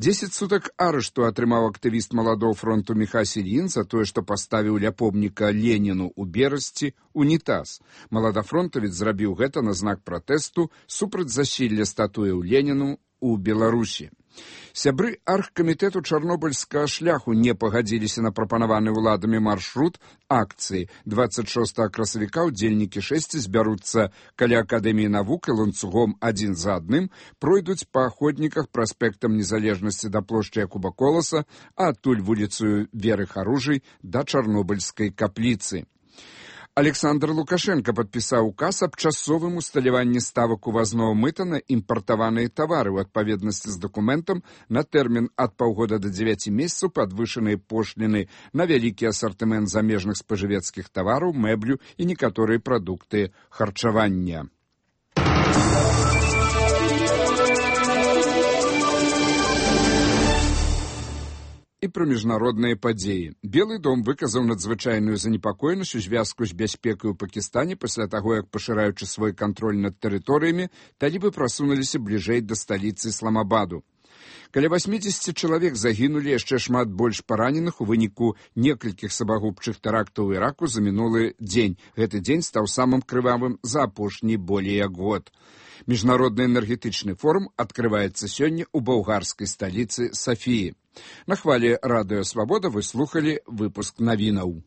10 сутак арышту атрымаў актывіст маладоў фронту Міхась Ільін за тое, што паставіў ля помніка Леніну ў Берасці унітаз. Маладафронтавец зрабіў гэта на знак пратэсту супраць засілля статуяў Леніну ў Беларусі. Сябры аргкамітэту чарнобыльскага шляху не пагадзіліся на прапанаваны ўладамі маршрут акцыі. 26 красавіка удзельнікі 6 збяруцца каля Акадэміі навук і ланцугом адзін за адным пройдуць па ахотніках праспектам Незалежнасці да плошчы Якуба Коласа, а адтуль вуліцаю Веры Харужай да чарнобыльскай капліцы. Александр Лукашенко падпісаў указ аб часовым усталяванні ставак увазнога мыта на імпартаваныя тавары ў адпаведнасці з дакументам на тэрмін ад паўгода да 9 месяцаў падвышаныя пошліны на вялікі асартымент замежных спажывецкіх тавараў, мэблю і некаторыя прадукты харчавання. І пра міжнародныя падзеі. Белы дом выказаў надзвычайную занепакоенасць у звязку з бяспекай у Пакістане пасля таго, як, пашыраючы свой кантроль над тэрыторыямі, талібы прасунуліся бліжэй да сталіцы Ісламабаду. Каля 80 чалавек загінулі, яшчэ шмат больш параненых у выніку некалькіх сабагубчых тэрактаў у Іраку за мінулы дзень. Гэты дзень стаў самым крывавым за апошні болей як год. Міжнародны энергетычны форум адкрываецца сёння ў балгарскай сталіцы Сафіі. На хвале радыё «Свабода» вы слухалі выпуск навінаў.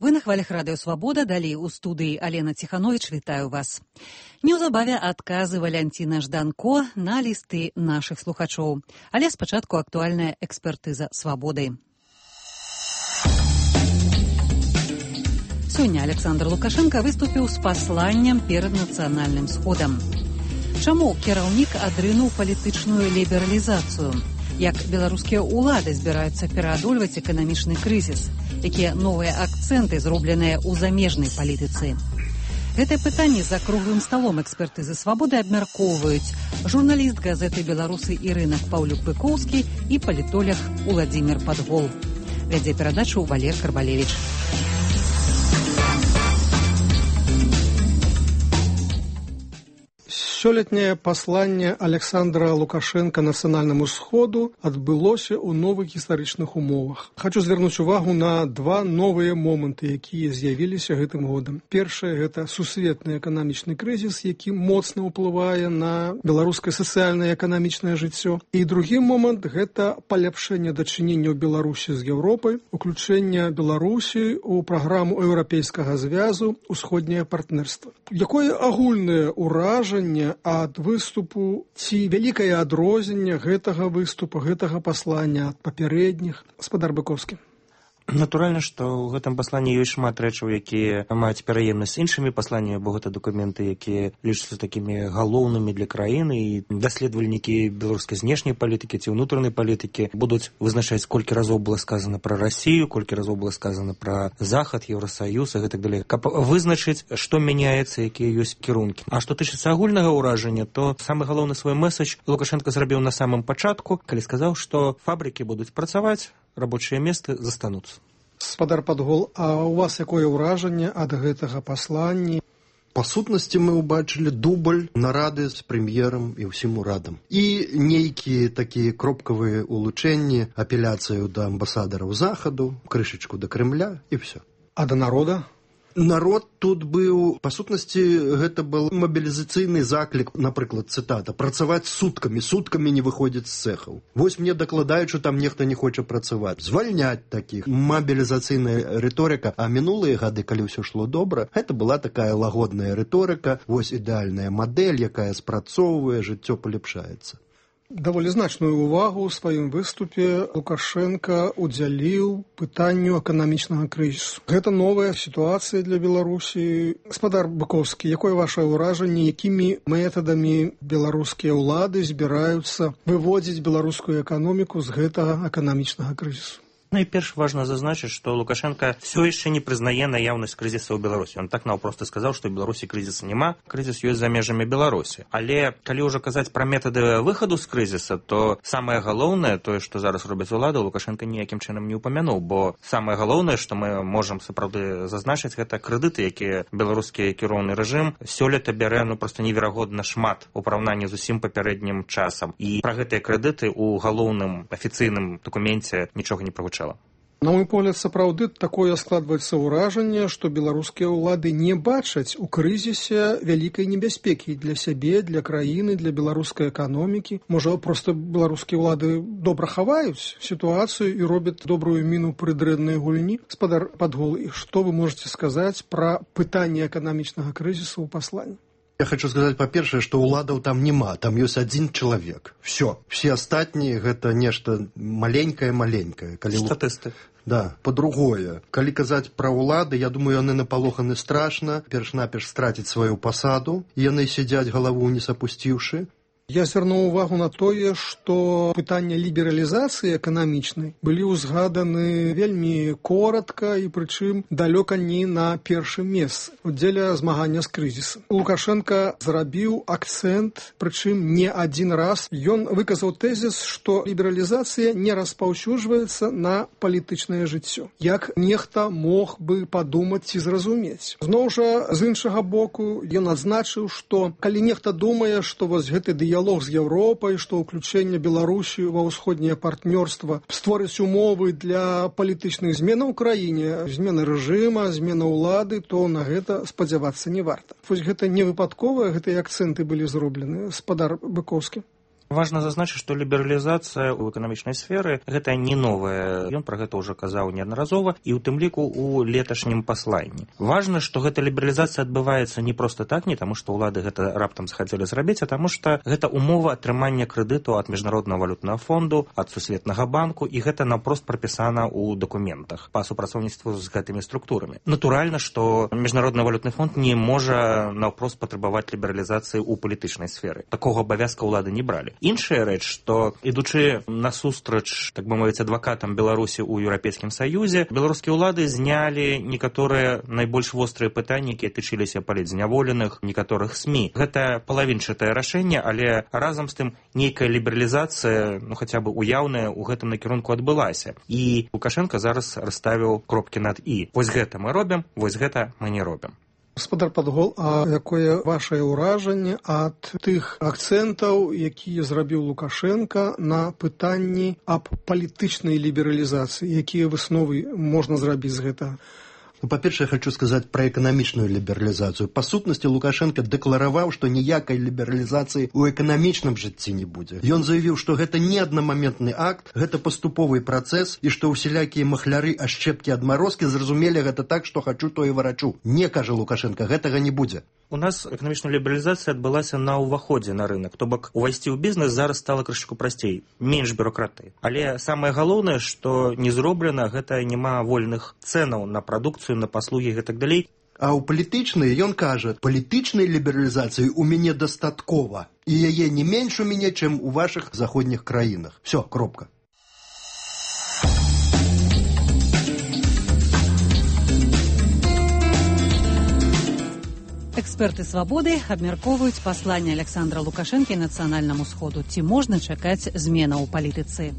Вы на хвалях радыё «Свабода», далей у студыі Алена Ціхановіч, вітаю вас. Неўзабаве адказы Валянціна Жданко на лісты нашых слухачоў. Але спачатку актуальная экспертыза «Свабоды». Сёння Александр Лукашенко выступіў з пасланнем перад нацыянальным сходам. Чаму кіраўнік адрынуў палітычную лібералізацыю? Як беларускія ўлады збіраюцца пераадольваць эканамічны крызіс? Якія новыя акцэнты зробленыя ў замежнай палітыцы? Гэтае пытанне за круглым сталом экспертызы «Свабоды» абмяркоўваюць журналіст газеты «Беларусы» Ірына Паўлюк-Пыкоўскі і палітолог Уладзімір Падгол. Вядзе перадачу Валер Карбалевіч. Сёлетняе пасланне Александра Лукашенко нацыянальнаму сходу адбылося ў новых гістарычных умовах. Хочу звярнуць увагу на два новыя моманты, якія з'явіліся гэтым годам. Першае – гэта сусветны эканамічны крызіс, які моцна ўплывае на беларускае сацыяльнае і эканамічнае жыццё. І другі момант – гэта паляпшэнне дачыненняў Беларусі з Еўропай, уключэнне Беларусі ў праграму Еўрапейскага звязу «Усходняе партнерства». Якое агульнае ўражанне ад выступу ці вялікае адрозненне гэтага выступа, гэтага паслання ад папярэдніх? Гаспадар Быкоўскі. Натуральна, што ў гэтым пасланні ёсць шмат рэчаў, якія маюць пераемнасць з іншымі пасланнямі, бо гэта дакументы, якія лічацца такімі галоўнымі для краіны, і даследавальнікі беларускай знешняй палітыкі ці ўнутранай палітыкі будуць вызначаць, колькі разоў было сказана пра Расію, колькі разоў было сказана пра Захад, Еўрасаюз і гэтак далей, каб вызначыць, што мяняецца, якія ёсць кірункі. А што тычыцца агульнага ўражання, то самы галоўны свой месседж Лукашенко зрабіў на самым пачатку, калі сказаў, што фабрыкі будуць працаваць, рабочыя месцы застануцца. Гаспадар Падгол, а у вас якое ўражанне ад гэтага паслання? Па сутнасці мы ўбачылі дубль нарады з прэм'ерам і ўсім урадам. І нейкія такія кропкавыя улучэнні, апеляцыю да амбасадараў Захаду, крышачку да Крэмля і ўсё. А да народа? Народ тут быў, па сутнасці, гэта был мабілізацыйны заклік, напрыклад, цытата, працаваць суткамі не выходзіць з цэхаў. Вось мне дакладаюць, што там нехта не хоча працаваць. Звальняць такіх. Мабілізацыйная рыторыка. А мінулыя гады, калі ўсё шло добра, гэта была такая лагодная рыторыка, вось ідэальная мадэль, якая спрацоўвае, жыццё паляпшаецца. Даволі значную ўвагу ў сваім выступе Лукашенко удзяліў пытанню эканамічнага крызісу. Гэта новая сітуацыя для Беларусі. Гаспадар Быкоўскі, якое вашае ўражанне, якімі метадамі беларускія ўлады збіраюцца выводзіць беларускую эканоміку з гэтага эканамічнага крызісу? Найперш важна зазначыць, што Лукашенко все яшчэ не прызнае наяўнасць крызіса ў Беларусі. Он так наўпрост сказаў, што ў Беларусі крызіса няма, крызіс ёсць за межамі Беларусі. Але калі ўжо казаць пра метады выхаду з крызіса, то самае галоўнае, тое, што зараз робяць улады, Лукашенко ніякім чынам не ўпамянуў, бо самае галоўнае, што мы можам сапраўды зазначыць, гэта крэдыты, якія беларускі кіроўны рэжым сёлета бярэ проста неверагодна шмат у параўнанні з усім папярэднім часам. І пра гэтыя крэдыты ў галоўным афіцыйным дакуменце нічога не прагучала. На мой погляд, сапраўды такое складваецца ўражанне, што беларускія ўлады не бачаць у крызісе вялікай небяспекі для сябе, для краіны, для беларускай эканомікі. Можа, проста беларускія ўлады добра хаваюць сітуацыю і робяць добрую міну пры дрэннай гульні. Гаспадар Падгол, і што вы можаце сказаць пра пытанне эканамічнага крызісу ў пасланні? Я хочу сказаць, па-першае, што ўладаў там няма, там ёсць адзін чалавек. Все астатнія гэта нешта маленькае. Статысты. Да, по-другое. Калі казаць пра ўлады, я думаю, яны напалоханы страшна, перш-наперш страціць сваю пасаду, яны сядзяць галаву ўніз апусціўшы. Я звярнуў увагу на тое, што пытанне лібералізацыі эканамічнай былі ўзгаданы вельмі коратка і прычым далёка не на першым месцы дзеля змагання з крызісам. Лукашенко зрабіў акцэнт, прычым не адзін раз. Ён выказаў тэзіс, што лібералізацыя не распаўсюджваецца на палітычнае жыццё. Як нехта мог бы падумаць ці зразумець. Зноў жа, з іншага боку, ён адзначыў, што калі нехта думае, што вось гэты дыялог з Еўропай, што ўключэнне Беларусі ва ўсходняе партнёрства створыць умовы для палітычных зменаў у краіне, змены рэжыма, змена ўлады, то на гэта спадзявацца не варта. Вось гэта не выпадковыя, гэтыя акцэнты былі зроблены. Гаспадар Быкоўскі. Важна зазначыць, што лібералізацыя ў эканамічнай сферы гэта не новая. Ён пра гэта ўжо казаў неаднаразова і ў тым ліку ў леташнім пасланні. Важна, што гэта лібералізацыя адбываецца не проста так, не таму, што ўлады гэта раптам захацелі зрабіць, а таму, што гэта умова атрымання крэдыту ад міжнароднага валютнага фонду, ад сусветнага банку, і гэта наўпрост прапісана ў дакументах па супрацоўніцтву з гэтымі структурамі. Натуральна, што міжнародны валютны фонд не можа наўпрост патрабаваць лібералізацыі ў палітычнай сферы. Такога абавязка ўлады не бралі. Іншая рэч, што ідучы насустрач, так бы мовіць, адвакатам Беларусі ў Еўрапейскім Саюзе, беларускія ўлады знялі некаторыя найбольш вострыя пытанні, якія тычыліся палітзняволеных, некаторых СМІ. Гэта палавінчатае рашэнне, але разам з тым нейкая лібералізацыя, хаця бы уяўная, у гэтым накірунку адбылася. І Лукашенко зараз расставіў кропкі над «і». Вось гэта мы робім, вось гэта мы не робім. Гаспадар Падгол, а якое вашае ўражанне ад тых акцэнтаў, якія зрабіў Лукашенко на пытанні аб палітычнай лібералізацыі, якія высновы можна зрабіць з гэтага? По-перше, я хочу сказать про экономичную либерализацию. По сутности, Лукашенко деклараваў, што ніякай лібералізацыі ў эканамічным жыцці не будзе. Ён заявіў, што гэта не аднамаментны акт, гэта паступовы працэс, і што ўсялякія махляры, ашчэпкі, адмарозкі зразумелі гэта так, што хачу, то і варачу. Не, кажа Лукашенко, гэтага не будзе. У нас эканамічная лібералізацыя адбылася на ўваходзе на рынок. То бок, увайсці ў бізнес зараз стала крышку прасцей, менш бюракратыі. Але самае галоўнае, што не зроблена, гэта няма вольных цэнаў на прадукцыю, на паслугі і гэтак далей. А ў палітычнай ён кажа, палітычнай лібералізацыі ў мяне дастаткова, і яе не менш у мяне, чым у вашых заходніх краінах. Всё, кропка. Эксперты «Свабоды» абмяркоўваюць пасланне Александра Лукашэнкі нацыянальнаму сходу. Ці можна чакаць зменаў у палітыцы?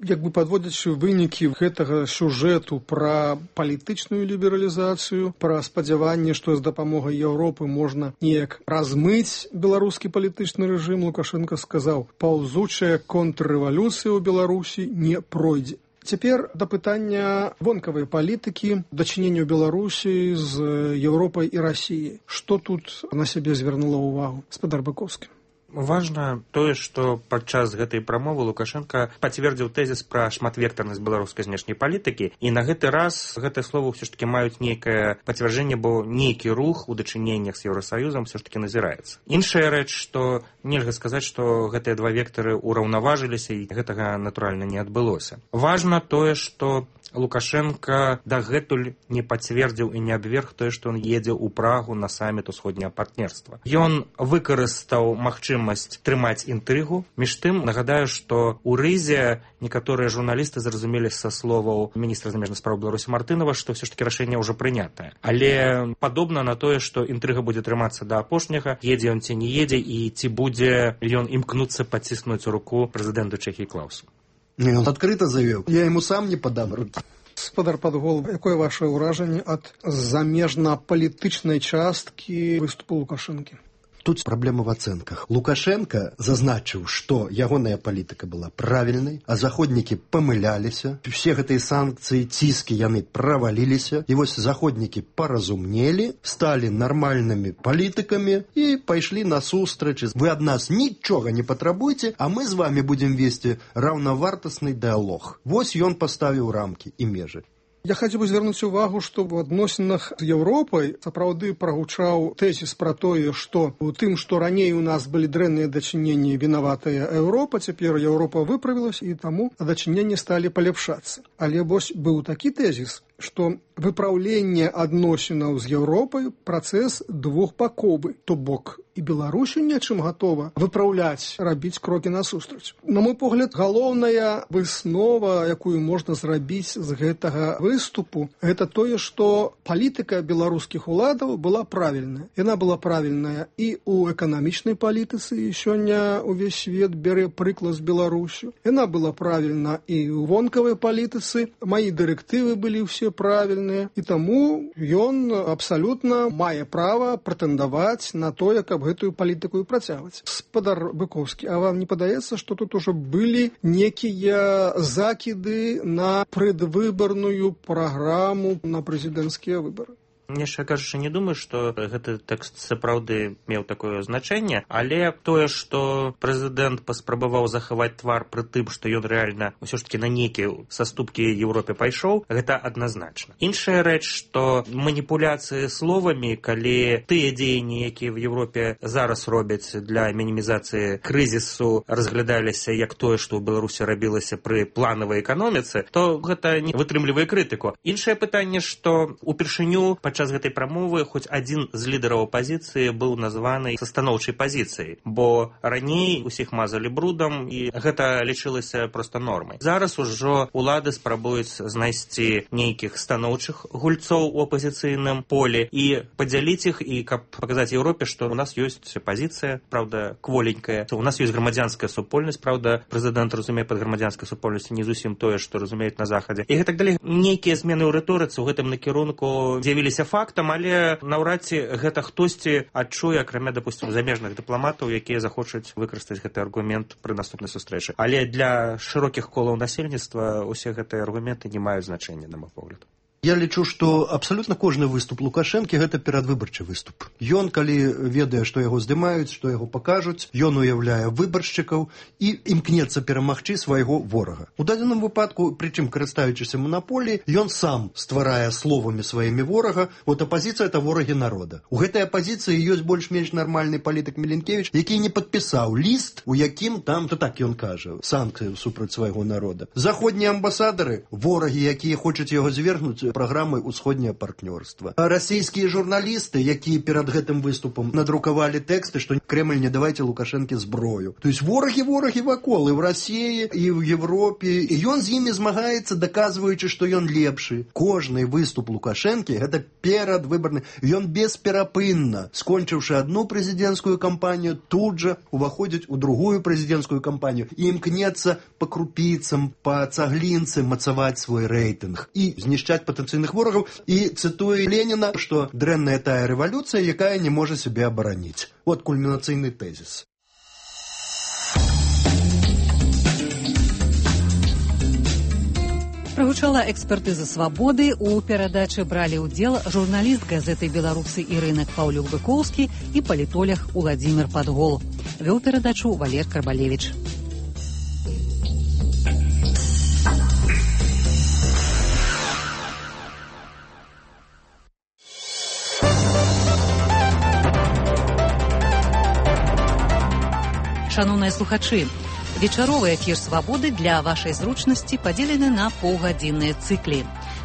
Як бы падводзячы вынікі гэтага сюжэту пра палітычную лібералізацыю, пра спадзяванне, што з дапамогай Еўропы можна неяк размыць беларускі палітычны рэжым, Лукашенко сказаў, паўзучая контррэвалюцыя ў Беларусі не пройдзе. Цяпер да пытання вонкавай палітыкі, дачынення Беларусі з Еўропай і Расіяй. Што тут на сябе звярнула ўвагу гаспадар Быкоўскі? Важна тое, што падчас гэтай прамовы Лукашенко пацвердзіў тэзіс пра шматвектарнасць беларускай знешняй палітыкі, і на гэты раз гэтыя словы ўсё ж такі маюць нейкае пацвярджэнне, бо нейкі рух у дачыненнях з Еўрасаюзам ўсё ж такі назіраецца. Іншая рэч, што нельга сказаць, што гэтыя два вектары ўраўнаважыліся, і гэтага, натуральна, не адбылося. Важна тое, што Лукашенко дагэтуль не пацвердзіў і не абверг тое, што ён едзе ў Прагу на саміт усходняга партнерства. Ён выкарыстаў магчымасць трымаць інтрыгу. Між тым, нагадаю, што ў Рызе некаторыя журналісты зразумелі са словаў міністра замежных спраў Беларусі Мартынова, што ўсё ж такі рашэнне ўжо прынятае. Але падобна на тое, што інтрыга будзе трымацца да апошняга, едзе ён ці не едзе, і ці будзе ён імкнуцца паціснуць руку прэзідэнту Чэхіі Клаусу. Ён адкрыта заявіў, я яму сам не падам рукі. Гаспадар Падгол, якое ваше ўражанне ад замежна-палітычнай часткі выступу Лукашэнкі? Тут праблема в ацэнках. Лукашенко зазначыў, што ягоная палітыка была правільнай, а заходнікі памыляліся. Все гэтыя санкцыі, ціскі, яны праваліліся. І вось заходнікі паразумнелі, сталі нармальнымі палітыкамі і пайшлі насустрач. Вы ад нас нічога не патрабуйце, а мы з вами будзем весці раўнавартасны дыалог. Вось ён паставіў рамкі і межы. Я хацеў бы звярнуць увагу, што ў адносінах з Еўропай сапраўды прагучаў тэзіс пра тое, што у тым, што раней у нас былі дрэнныя дачыненні, вінаватая Еўропа, цяпер Еўропа выправілася, і таму дачыненні сталі паляпшацца. Але вось быў такі тэзіс, што выпраўленне адносінаў з Еўропай працэс двухбаковы, то бок і Беларусі нечым гатова выпраўляць, рабіць крокі насустрач. На мой погляд, галоўная выснова, якую можна зрабіць з гэтага выступу, гэта тое, што палітыка беларускіх уладаў была правільная. Яна была правільная і ў эканамічнай палітыцы, і сёння ўвесь свет бярэ прыклад з Беларусю. Яна была правільна і ў вонкавай палітыцы, мае дырэктывы былі ўсе правільныя, і таму ён абсалютна мае права прэтэндаваць на тое, каб гэтую палітыку працягваць. Гаспадар Быкоўскі, а вам не падаецца, што тут ужо былі некія закіды на прэдвыбарную праграму на прэзідэнцкія выбары? Яшчэ кажучы, не думаю, што гэты тэкст сапраўды меў такое значэнне, але тое, што прэзідэнт паспрабаваў захаваць твар пры тым, што ён рэальна ўсё ж такі на нейкія саступкі Еўропе пайшоў, гэта адназначна. Іншая рэч, што маніпуляцыі словамі, калі тыя дзеянні, якія в Еўропе зараз робяць для мінімізацыі крызісу, разглядаліся як тое, што ў Беларусі рабілася пры планавай эканоміцы, то гэта не вытрымлівае крытыку. Іншае пытанне, што упершыню падчас гэтай прамовы хоць адзін з лідараў апазіцыі быў названы са станоўчай пазіцыяй, бо раней усіх мазалі брудам і гэта лічылася проста нормай. Зараз ужо улады спрабуюць знайсці нейкіх станоўчых гульцоў у апазіцыйным полі і падзяліць іх, і каб паказаць Еўропе, што у нас ёсць пазіцыя, праўда, кволенькая. У нас ёсць грамадзянская супольнасць, праўда, прэзідэнт разумее пад грамадзянскай супольнасцю не зусім тое, што разумеюць на захадзе. І гэтак далей. Нейкія змены ў рыторыцы ў гэтым накірунку з'явіліся фактам, але наўрад ці гэта хтосьці адчуе, акрамя, допустим, замежных дыпламатаў, якія захочуць выкарыстаць гэты аргумент пры наступнай сустрэчы. Але для шырокіх колаў насельніцтва усе гэтыя аргументы не маюць значэння, на мой погляд. Я лічу, што абсалютна кожны выступ Лукашэнкі гэта перадвыбарчы выступ. Ён, калі ведае, што яго здымаюць, што яго пакажуць, ён уяўляе выбаршчыкаў і імкнецца перамагчы свайго ворага. У дадзеным выпадку, прычым карыстаючыся манаполіяй, ён сам стварае словамі сваімі ворага, от апазіцыя это ворагі народа. У гэтай апазіцыі ёсць больш-менш нармальны палітык Міленкевіч, які не падпісаў ліст, у якім там, то так ён кажа, санкцыі супраць свайго народа. Заходнія амбасадары, ворагі, якія хочуць яго звергнуць праграмай «Усходняе партнёрства». Расійскія журналісты, якія перад гэтым выступам надрукавалі тэксты, што Кремль не давайце Лукашэнке зброю. То есть ворагі вакол і ў Расіі, і ў Европе. І ён з імі змагаецца, даказваючы, што ён лепшы. Кожны выступ Лукашэнкі гэта перадвыбарны. Ён бесперапынна, скончыўшы адну прэзідэнцкую кампанію, тут жа уваходзіць у другую прэзідэнцкую кампанію і імкнецца па крупіцам, па цаглінцы мацаваць свой рэйтынг і знішчаць патэнцыйных ворагаў, і цытуе Леніна, што дрэнная тая рэвалюцыя, якая не можа сябе абараніць. Вот кульмінацыйны тэзіс. Прагучала экспертыза «Свабоды». У перадачы бралі ўдзел журналіст газеты «Беларусы» Ірына Паўлюк-Быкоўскі і палітолог Уладзімір Падгол. Вёў перадачу Валер Карбалевіч. Шановныя слухачы, вечаровы эфір «Свабоды» для вашай зручнасці падзелены на паўгадзінныя цыклі.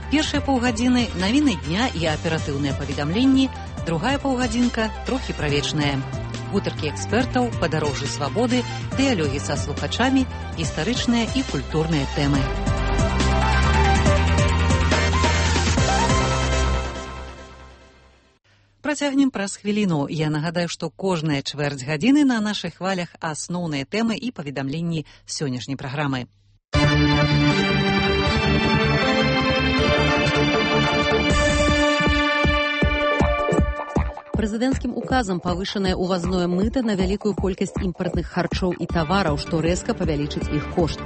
Першыя паўгадзіны – навіны дня і аператыўныя паведамленні, другая паўгадзінка – трохі правечная. Гутаркі экспертаў, падарожжы свабоды, дыялогі са слухачамі, гістарычныя і культурныя тэмы. Працягнем праз хвіліну. Я нагадаю, што кожная чвэрць гадзіны на нашых хвалях асноўныя тэмы і паведамленні сённяшняй праграмы. Прэзідэнцкім указам павышанае ўвазное мыта на вялікую колькасць імпартных харчоў і тавараў, што рэзка павялічыць іх кошт.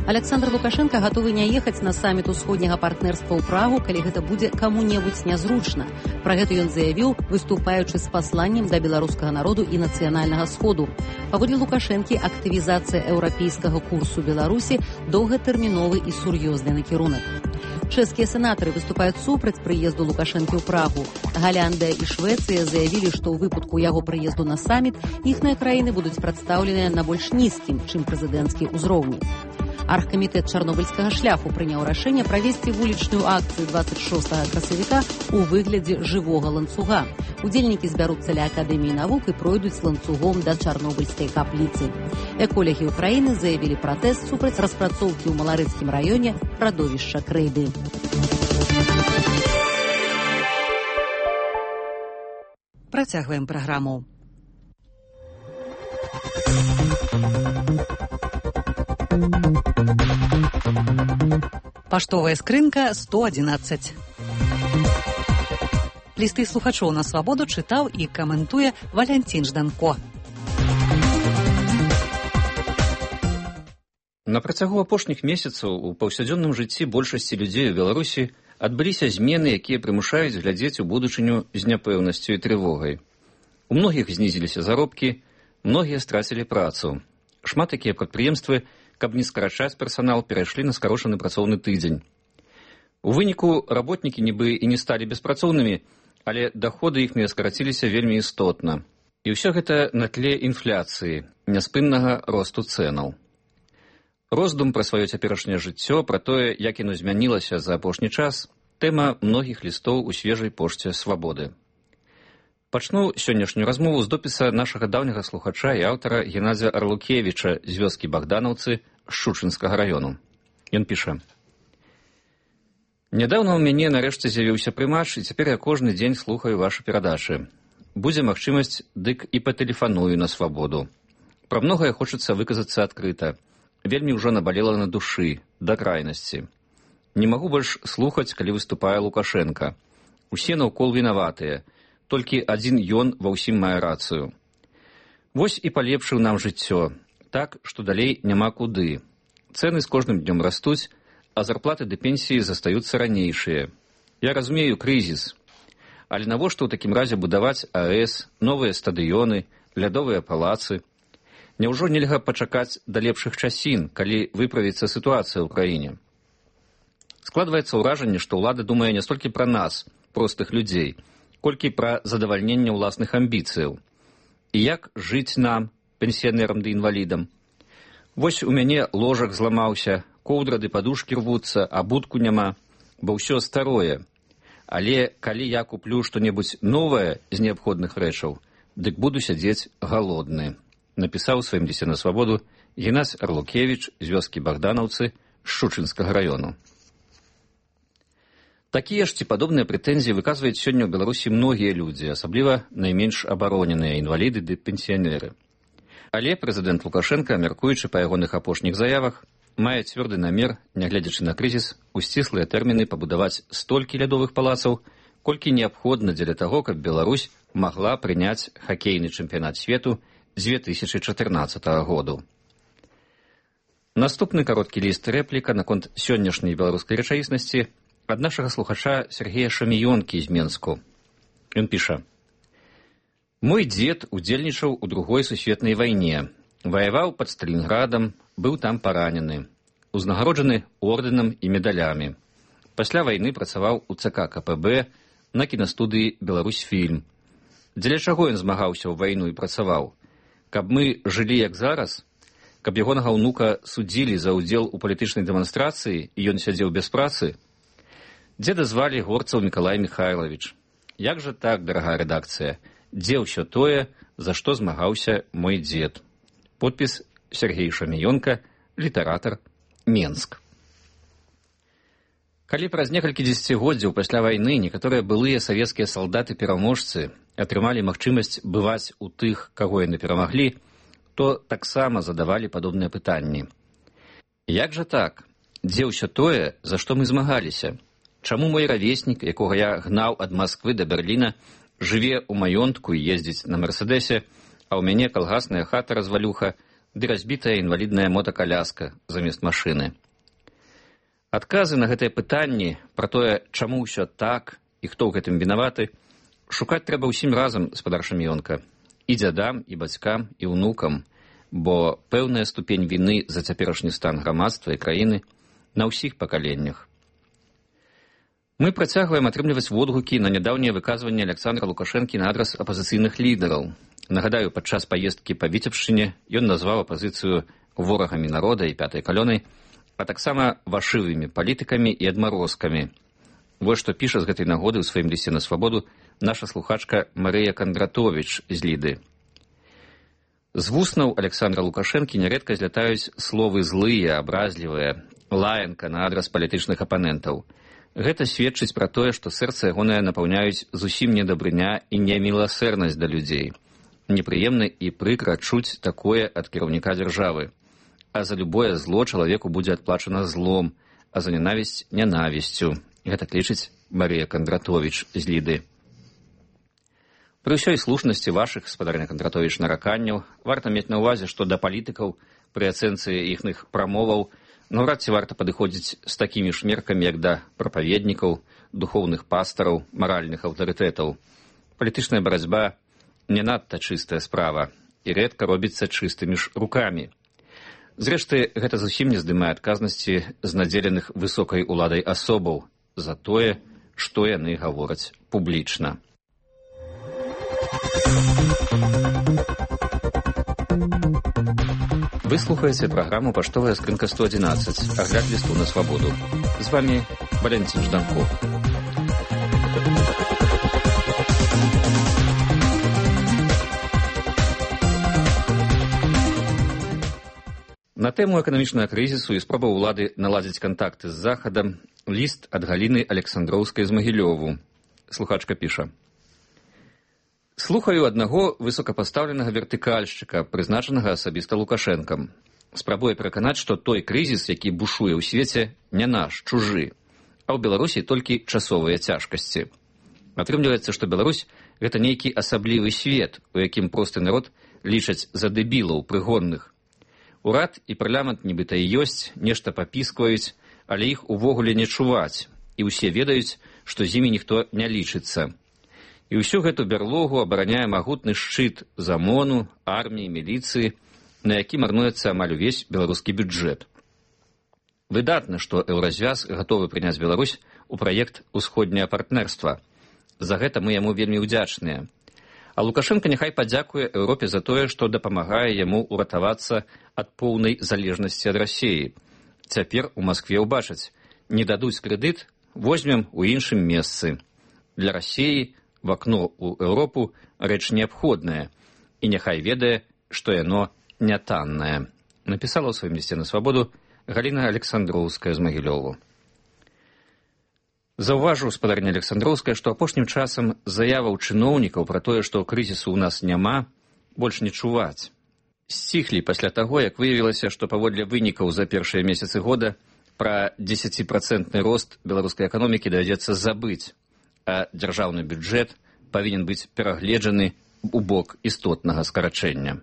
Александр Лукашенко гатовы не ехаць на саміт усходняга партнерства ў Прагу, калі гэта будзе каму-небудзь нязручна. Пра гэта ён заявіў, выступаючы з пасланнем да беларускага народу і нацыянальнага сходу. Паводле Лукашэнкі, актывізацыя еўрапейскага курсу Беларусі доўгатэрміновы і сур'ёзны накірунак. Чэшскія сенатары выступаюць супраць прыезду Лукашэнкі ў Прагу. Галяндыя і Швецыя заявілі, што ў выпадку яго прыезду на саміт іхныя краіны будуць прадстаўленыя на больш нізкім, чым прэзідэнцкі ўзроўні. Аргкамітэт чарнобыльскага шляху прыняў рашэнне правесці вулічную акцыю 26 красавіка ў выглядзе жывога ланцуга. Удзельнікі збяруцца ля Акадэміі навук і пройдуць ланцугом да чарнобыльскай капліцы. Эколагі ўкраіны заявілі пратэст супраць распрацоўкі ў Маларыцкім раёне радовішча крэйды. Працягваем праграму. Паштовая скрынка 111. Лісты слухачоў на свабоду чытаў і каментуе Валянцін Жданко. На працягу апошніх месяцаў у паўсядзённым жыцці большасці людзей у Беларусі адбыліся змены, якія прымушаюць глядзець у будучыню з няпэўнасцю і трывогай. У многіх знізіліся заробкі, многія страцілі працу. Шмат якія прадпрыемствы, каб не скарачаць персанал, перайшлі на скарошаны працоўны тыдзень. У выніку работнікі нібы і не сталі беспрацоўнымі, але даходы іхныя скараціліся вельмі істотна. І ўсё гэта на тле інфляцыі, няспыннага росту цэнаў. Роздум пра сваё цяперашняе жыццё, пра тое, як яно змянілася за апошні час, Тэма многіх лістоў у свежай пошце «Свабоды». Пачну сённяшнюю размову з допіса нашага даўняга слухача і аўтара Геннадзя Арлукевіча з вёскі Богдановцы Шчучынскага раёну. Ён піша: «Нядаўна ў мяне нарэшце з'явіўся прымач, і цяпер я кожны дзень слухаю вашы перадачы. Будзе магчымасць, дык і патэлефаную на свабоду. Пра многае хочацца выказацца адкрыта. Вельмі ўжо набалела на душы, да крайнасці. Не магу больш слухаць, калі выступае Лукашенка. Усе наўкол вінаватыя. Толькі адзін ён ва ўсім мае рацыю. Вось і палепшыў нам жыццё, так, што далей няма куды. Цэны з кожным днём растуць, а зарплаты ды пенсіі застаюцца ранейшыя. Я разумею крызіс. Але навошта ў такім разе будаваць АЭС, новыя стадыёны, лядовыя палацы? Няўжо нельга пачакаць да лепшых часін, калі выправіцца сітуацыя ў краіне? Складваецца ўражанне, што ўлада думае не столькі пра нас, простых людзей, колькі пра задавальненне ўласных амбіцыяў. І як жыць нам, пенсіянерам ды інвалідам? Вось у мяне ложак зламаўся, коўдра ды падушкі рвуцца, а будку няма, бо ўсё старое. Але калі я куплю што-небудзь новае з неабходных рэчаў, дык буду сядзець галодны», напісаў у сваім лісце на свабоду Геннадзь Арлукевіч з вёскі Богдановцы Шчучынскага раёну. Такія ж ці падобныя прэтэнзіі выказваюць сёння ў Беларусі многія людзі, асабліва найменш абароненыя інваліды ды пенсіянеры. Але прэзідэнт Лукашенка, мяркуючы па ягоных апошніх заявах, мае цвёрды намер, нягледзячы на крызіс, у сціслыя тэрміны пабудаваць столькі лядовых палацаў, колькі неабходна дзеля таго, каб Беларусь магла прыняць хакейны чэмпіянат свету з 2014 году. Наступны кароткі ліст рэпліка наконт сённяшняй беларускай рэчаіснасці ад нашага слухача Сергея Шаміёнкі з Менску. Ён піша: «Мой дзед удзельнічаў у Другой сусветнай вайне, ваяваў пад Сталінградам, быў там паранены, узнагароджаны ордэнам і медалямі. Пасля вайны працаваў у ЦК КПБ на кінастудыі «Беларусьфільм». Дзеля чаго ён змагаўся ў вайну і працаваў? Каб мы жылі як зараз? Каб ягонага ўнука судзілі за ўдзел у палітычнай дэманстрацыі і ён сядзеў без працы? Дзеда звалі Горцаў Мікалай Міхайлавіч. Як жа так, дарагая рэдакцыя? Дзе ўсё тое, за што змагаўся мой дзед?» Подпіс Сергей Шаміёнка, літаратар, Менск. Калі праз некалькі дзесяцігоддзяў пасля вайны некаторыя былыя савецкія салдаты-пераможцы атрымалі магчымасць бываць у тых, каго яны перамаглі, то таксама задавалі падобныя пытанні. Як жа так? Дзе ўсё тое, за што мы змагаліся? Чаму мой равеснік, якога я гнаў ад Масквы да Берліна, жыве ў маёнтку і ездзіць на Мерседесе, а ў мяне калгасная хата-развалюха ды разбітая інвалідная мотакаляска замест машыны? Адказы на гэтыя пытанні пра тое, чаму ўсё так і хто ў гэтым вінаваты, шукаць трэба ўсім разам, спадар Шаміёнка, і дзядам, і бацькам, і ўнукам, бо пэўная ступень віны за цяперашні стан грамадства і краіны на ўсіх пакаленнях. Мы працягваем атрымліваць водгукі на нядаўнія выказванні Александра Лукашэнкі на адрас апазіцыйных лідараў. Нагадаю, падчас паездкі па Віцебшчыне ён назваў апазіцыю ворагамі народа і пятай калёнай, а таксама вашывымі палітыкамі і адмарозкамі. Вось што піша з гэтай нагоды ў сваім лісце на свабоду наша слухачка Марыя Кандратовіч з Ліды. З вуснаў Александра Лукашэнкі нярэдка злятаюць словы злыя, абразлівыя, лаянка на адрас палітычных апанентаў. Гэта сведчыць пра тое, што сэрца ягонае напаўняюць зусім недабрыня і неміласэрнасць да людзей. Непрыемна і прыкра чуць такое ад кіраўніка дзяржавы. А за любое зло чалавеку будзе адплачана злом, а за нянавісць нянавісцю. Гэта лічыць Марыя Кандратовіч з Ліды. Пры ўсёй слушнасці вашых, спадарня Кандратовіч, нараканняў, варта мець на ўвазе, што да палітыкаў пры ацэнцы іхных прамоваў наўрад ці варта падыходзіць з такімі ж меркамі, як да прапаведнікаў, духоўных пастараў, маральных аўтарытэтаў. Палітычная барацьба не надта чыстая справа і рэдка робіцца чыстымі ж рукамі. Зрэшты, гэта зусім не здымае адказнасці з надзеленых высокай уладай асобаў за тое, што яны гавораць публічна. Вы слухаеце праграму «Паштовая скрынка 111», агляд лісту на свабоду. З вамі Валентин Жданков. На тэму эканамічнага крызісу і спробаў улады наладзіць кантакты з Захадам ліст ад Галіны Александроўскай з Магілёву. Слухачка піша. Слухаю аднаго высокапастаўленага вертыкальшчыка, прызначанага асабіста Лукашэнкам. Спрабуе пераканаць, што той крызіс, які бушуе ў свеце, не наш, чужы, а ў Беларусі толькі часовыя цяжкасці. Атрымліваецца, што Беларусь – гэта нейкі асаблівы свет, у якім просты народ лічаць за дэбілаў прыгонных. Урад і парламент нібыта і ёсць, нешта папіскваюць, але іх увогуле не чуваць, і ўсе ведаюць, што з імі ніхто не лічыцца. І ўсю гэту бярлогу абараняе магутны шчыт з ОМОНу, арміі, міліцыі, на які марнуецца амаль увесь беларускі бюджэт. Выдатна, што Еўразвяз гатовы прыняць Беларусь у праект «Усходняе партнерства». За гэта мы яму вельмі ўдзячныя. А Лукашенко няхай падзякуе Еўропе за тое, што дапамагае яму ўратавацца ад поўнай залежнасці ад Расіі. Цяпер у Маскве ўбачаць, не дадуць крэдыт, возьмем у іншым месцы. Для Расіі в акно ў Еўропу рэч неабходная, і няхай ведае, што яно не таннае. Напісала ў сваім лісце на свабоду Галіна Александроўская з Магілёву. Заўважыў спадарня Александроўская, што апошнім часам заяваў чыноўнікаў пра тое, што крызісу ў нас няма, больш не чуваць. Сціхлі пасля таго, як выявілася, што паводле вынікаў за першыя месяцы года пра 10% рост беларускай эканомікі давядзецца забыць, а дзяржаўны бюджэт павінен быць перагледжаны ў бок істотнага скарачэння.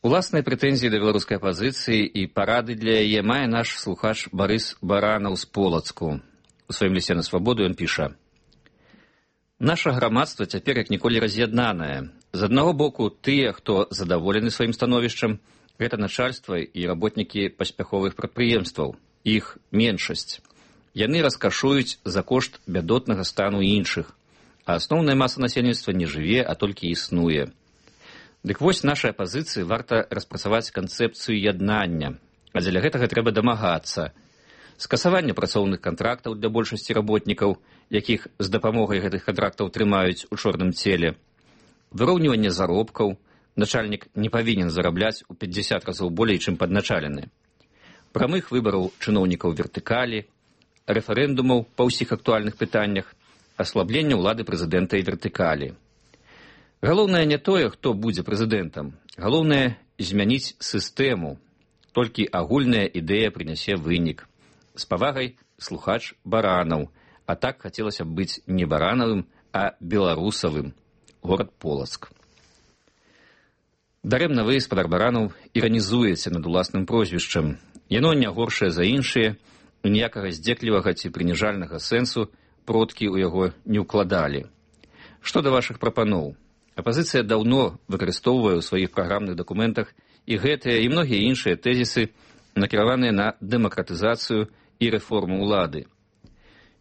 Уласныя прэтэнзіі да беларускай апазіцыі і парады для яе мае наш слухач Барыс Баранаў з Полацку. У сваім лісце на свабоду ён піша. Наша грамадства цяпер як ніколі раз'яднанае. З аднаго боку, тыя, хто задаволены сваім становішчам, гэта начальства і работнікі паспяховых прадпрыемстваў. Іх меншасць. Яны раскашуюць за кошт бядотнага стану іншых, а асноўная маса насельніцтва не жыве, а толькі існуе. Дык вось нашай апазіцыі варта распрацаваць канцэпцыю яднання, а дзеля гэтага трэба дамагацца. Скасаванне працоўных кантрактаў для большасці работнікаў, якіх з дапамогай гэтых кантрактаў трымаюць у чорным целе. Выроўніванне заробкаў, начальнік не павінен зарабляць у 50 разоў болей, чым падначалены. Прамых выбараў чыноўнікаў вертыкалі, рэферэндумаў па ўсіх актуальных пытаннях, аслаблення ўлады прэзідэнта і вертыкалі. Галоўнае не тое, хто будзе прэзідэнтам. Галоўнае змяніць сістэму. Толькі агульная ідэя прынясе вынік. З павагай слухач Баранаў. А так хацелася б быць не Баранавым, а беларусавым. Горад Полацк. Дарэмна вы, спадар Баранаў, іранізуеце над уласным прозвішчам. Яно не горшае за іншыя, і ніякага здзеклівага ці прыніжальнага сэнсу продкі ў яго не ўкладалі. Што да вашых прапаноў? Апазіцыя даўно выкарыстоўвае ў сваіх праграмных дакументах і гэтыя, і многія іншыя тэзісы, накіраваныя на дэмакратызацыю і рэформу ўлады.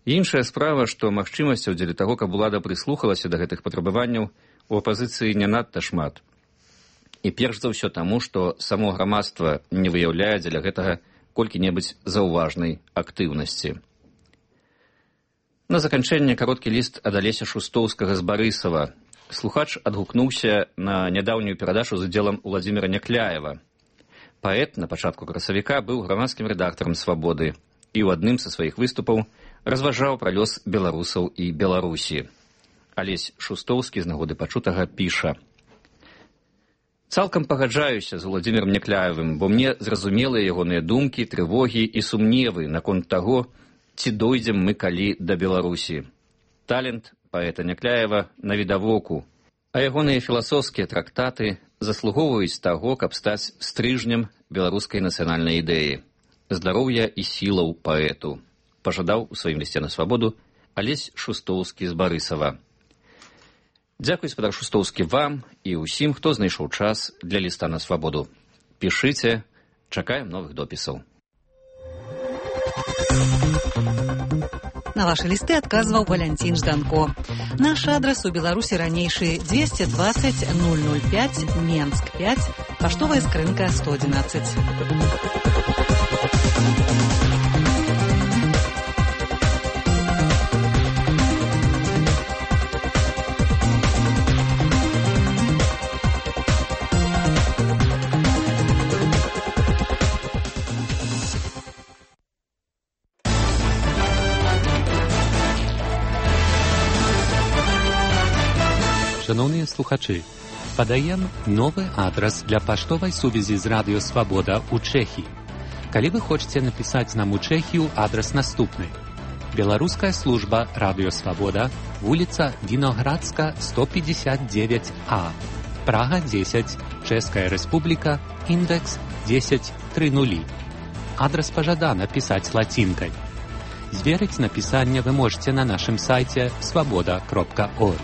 Іншая справа, што магчымасцяў дзеля таго, каб улада прыслухалася да гэтых патрабаванняў, у апазіцыі не надта шмат. І перш за ўсё таму, што само грамадства не выяўляе дзеля гэтага колькі-небудзь заўважнай актыўнасці. На заканчэнне кароткі ліст ад Алеся Шустоўскага з Барысава. Слухач адгукнуўся на нядаўнюю перадачу з удзелам Уладзіміра Някляева. Паэт на пачатку красавіка быў грамадскім рэдактарам «Свабоды» і ў адным са сваіх выступаў разважаў пра лёс беларусаў і Беларусі. Алесь Шустоўскі з нагоды пачутага піша. Цалкам пагаджаюся з Уладзімірам Някляевым, бо мне зразумелыя ягоныя думкі, трывогі і сумневы наконт таго, ці дойдзем мы калі да Беларусі. Талент паэта Някляева навідавоку, а ягоныя філасофскія трактаты заслугоўваюць таго, каб стаць стрыжнем беларускай нацыянальнай ідэі. Здароўя і сілаў паэту. Пажадаў у сваім лісце на свабоду Алесь Шустоўскі з Барысава. Дзякуй, спадар Шустоўскі, вам і ўсім, хто знайшоў час для ліста на свабоду. Пішыце, чакаем новых допісаў. На ваши листы отказывал Валентин Жданко. Наш адрес у Беларуси ранейший 220 005 Менск 5, поштовая скрынка 111. Шановні слухачі, подаем новый адрес для поштовой сувязі з Радіо Свобода у Чехії. Калі вы хочаце напісаць нам у Чэхію, адрес наступны. Беларуская служба Радіо Свобода, вуліца Віноградска, 159А, Прага 10, Чэшская Рэспубліка, індекс 1030. Адрес пажадана пісаць лацінкай. Зверыць напісанне вы можете на нашым сайце svoboda.org.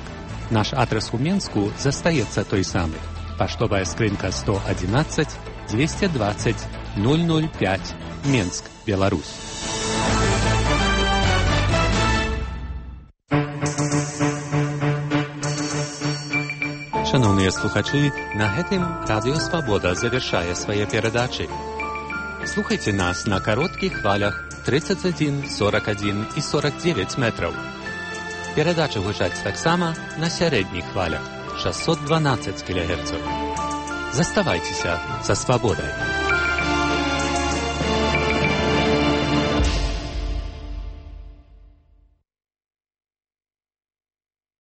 Наш адрес у Менску застаецца той самы. Паштовая скрынка 111 220 005, Менск, Беларусь. Шановныя слухачы, на гэтым Радіо Свобода завершае свае перадачы. Слухайце нас на кароткіх хвалях 31, 41 і 49 метраў. Перадачы гучаць таксама на сярэдніх хвалях 612 кГц. Заставайцеся са свабодай.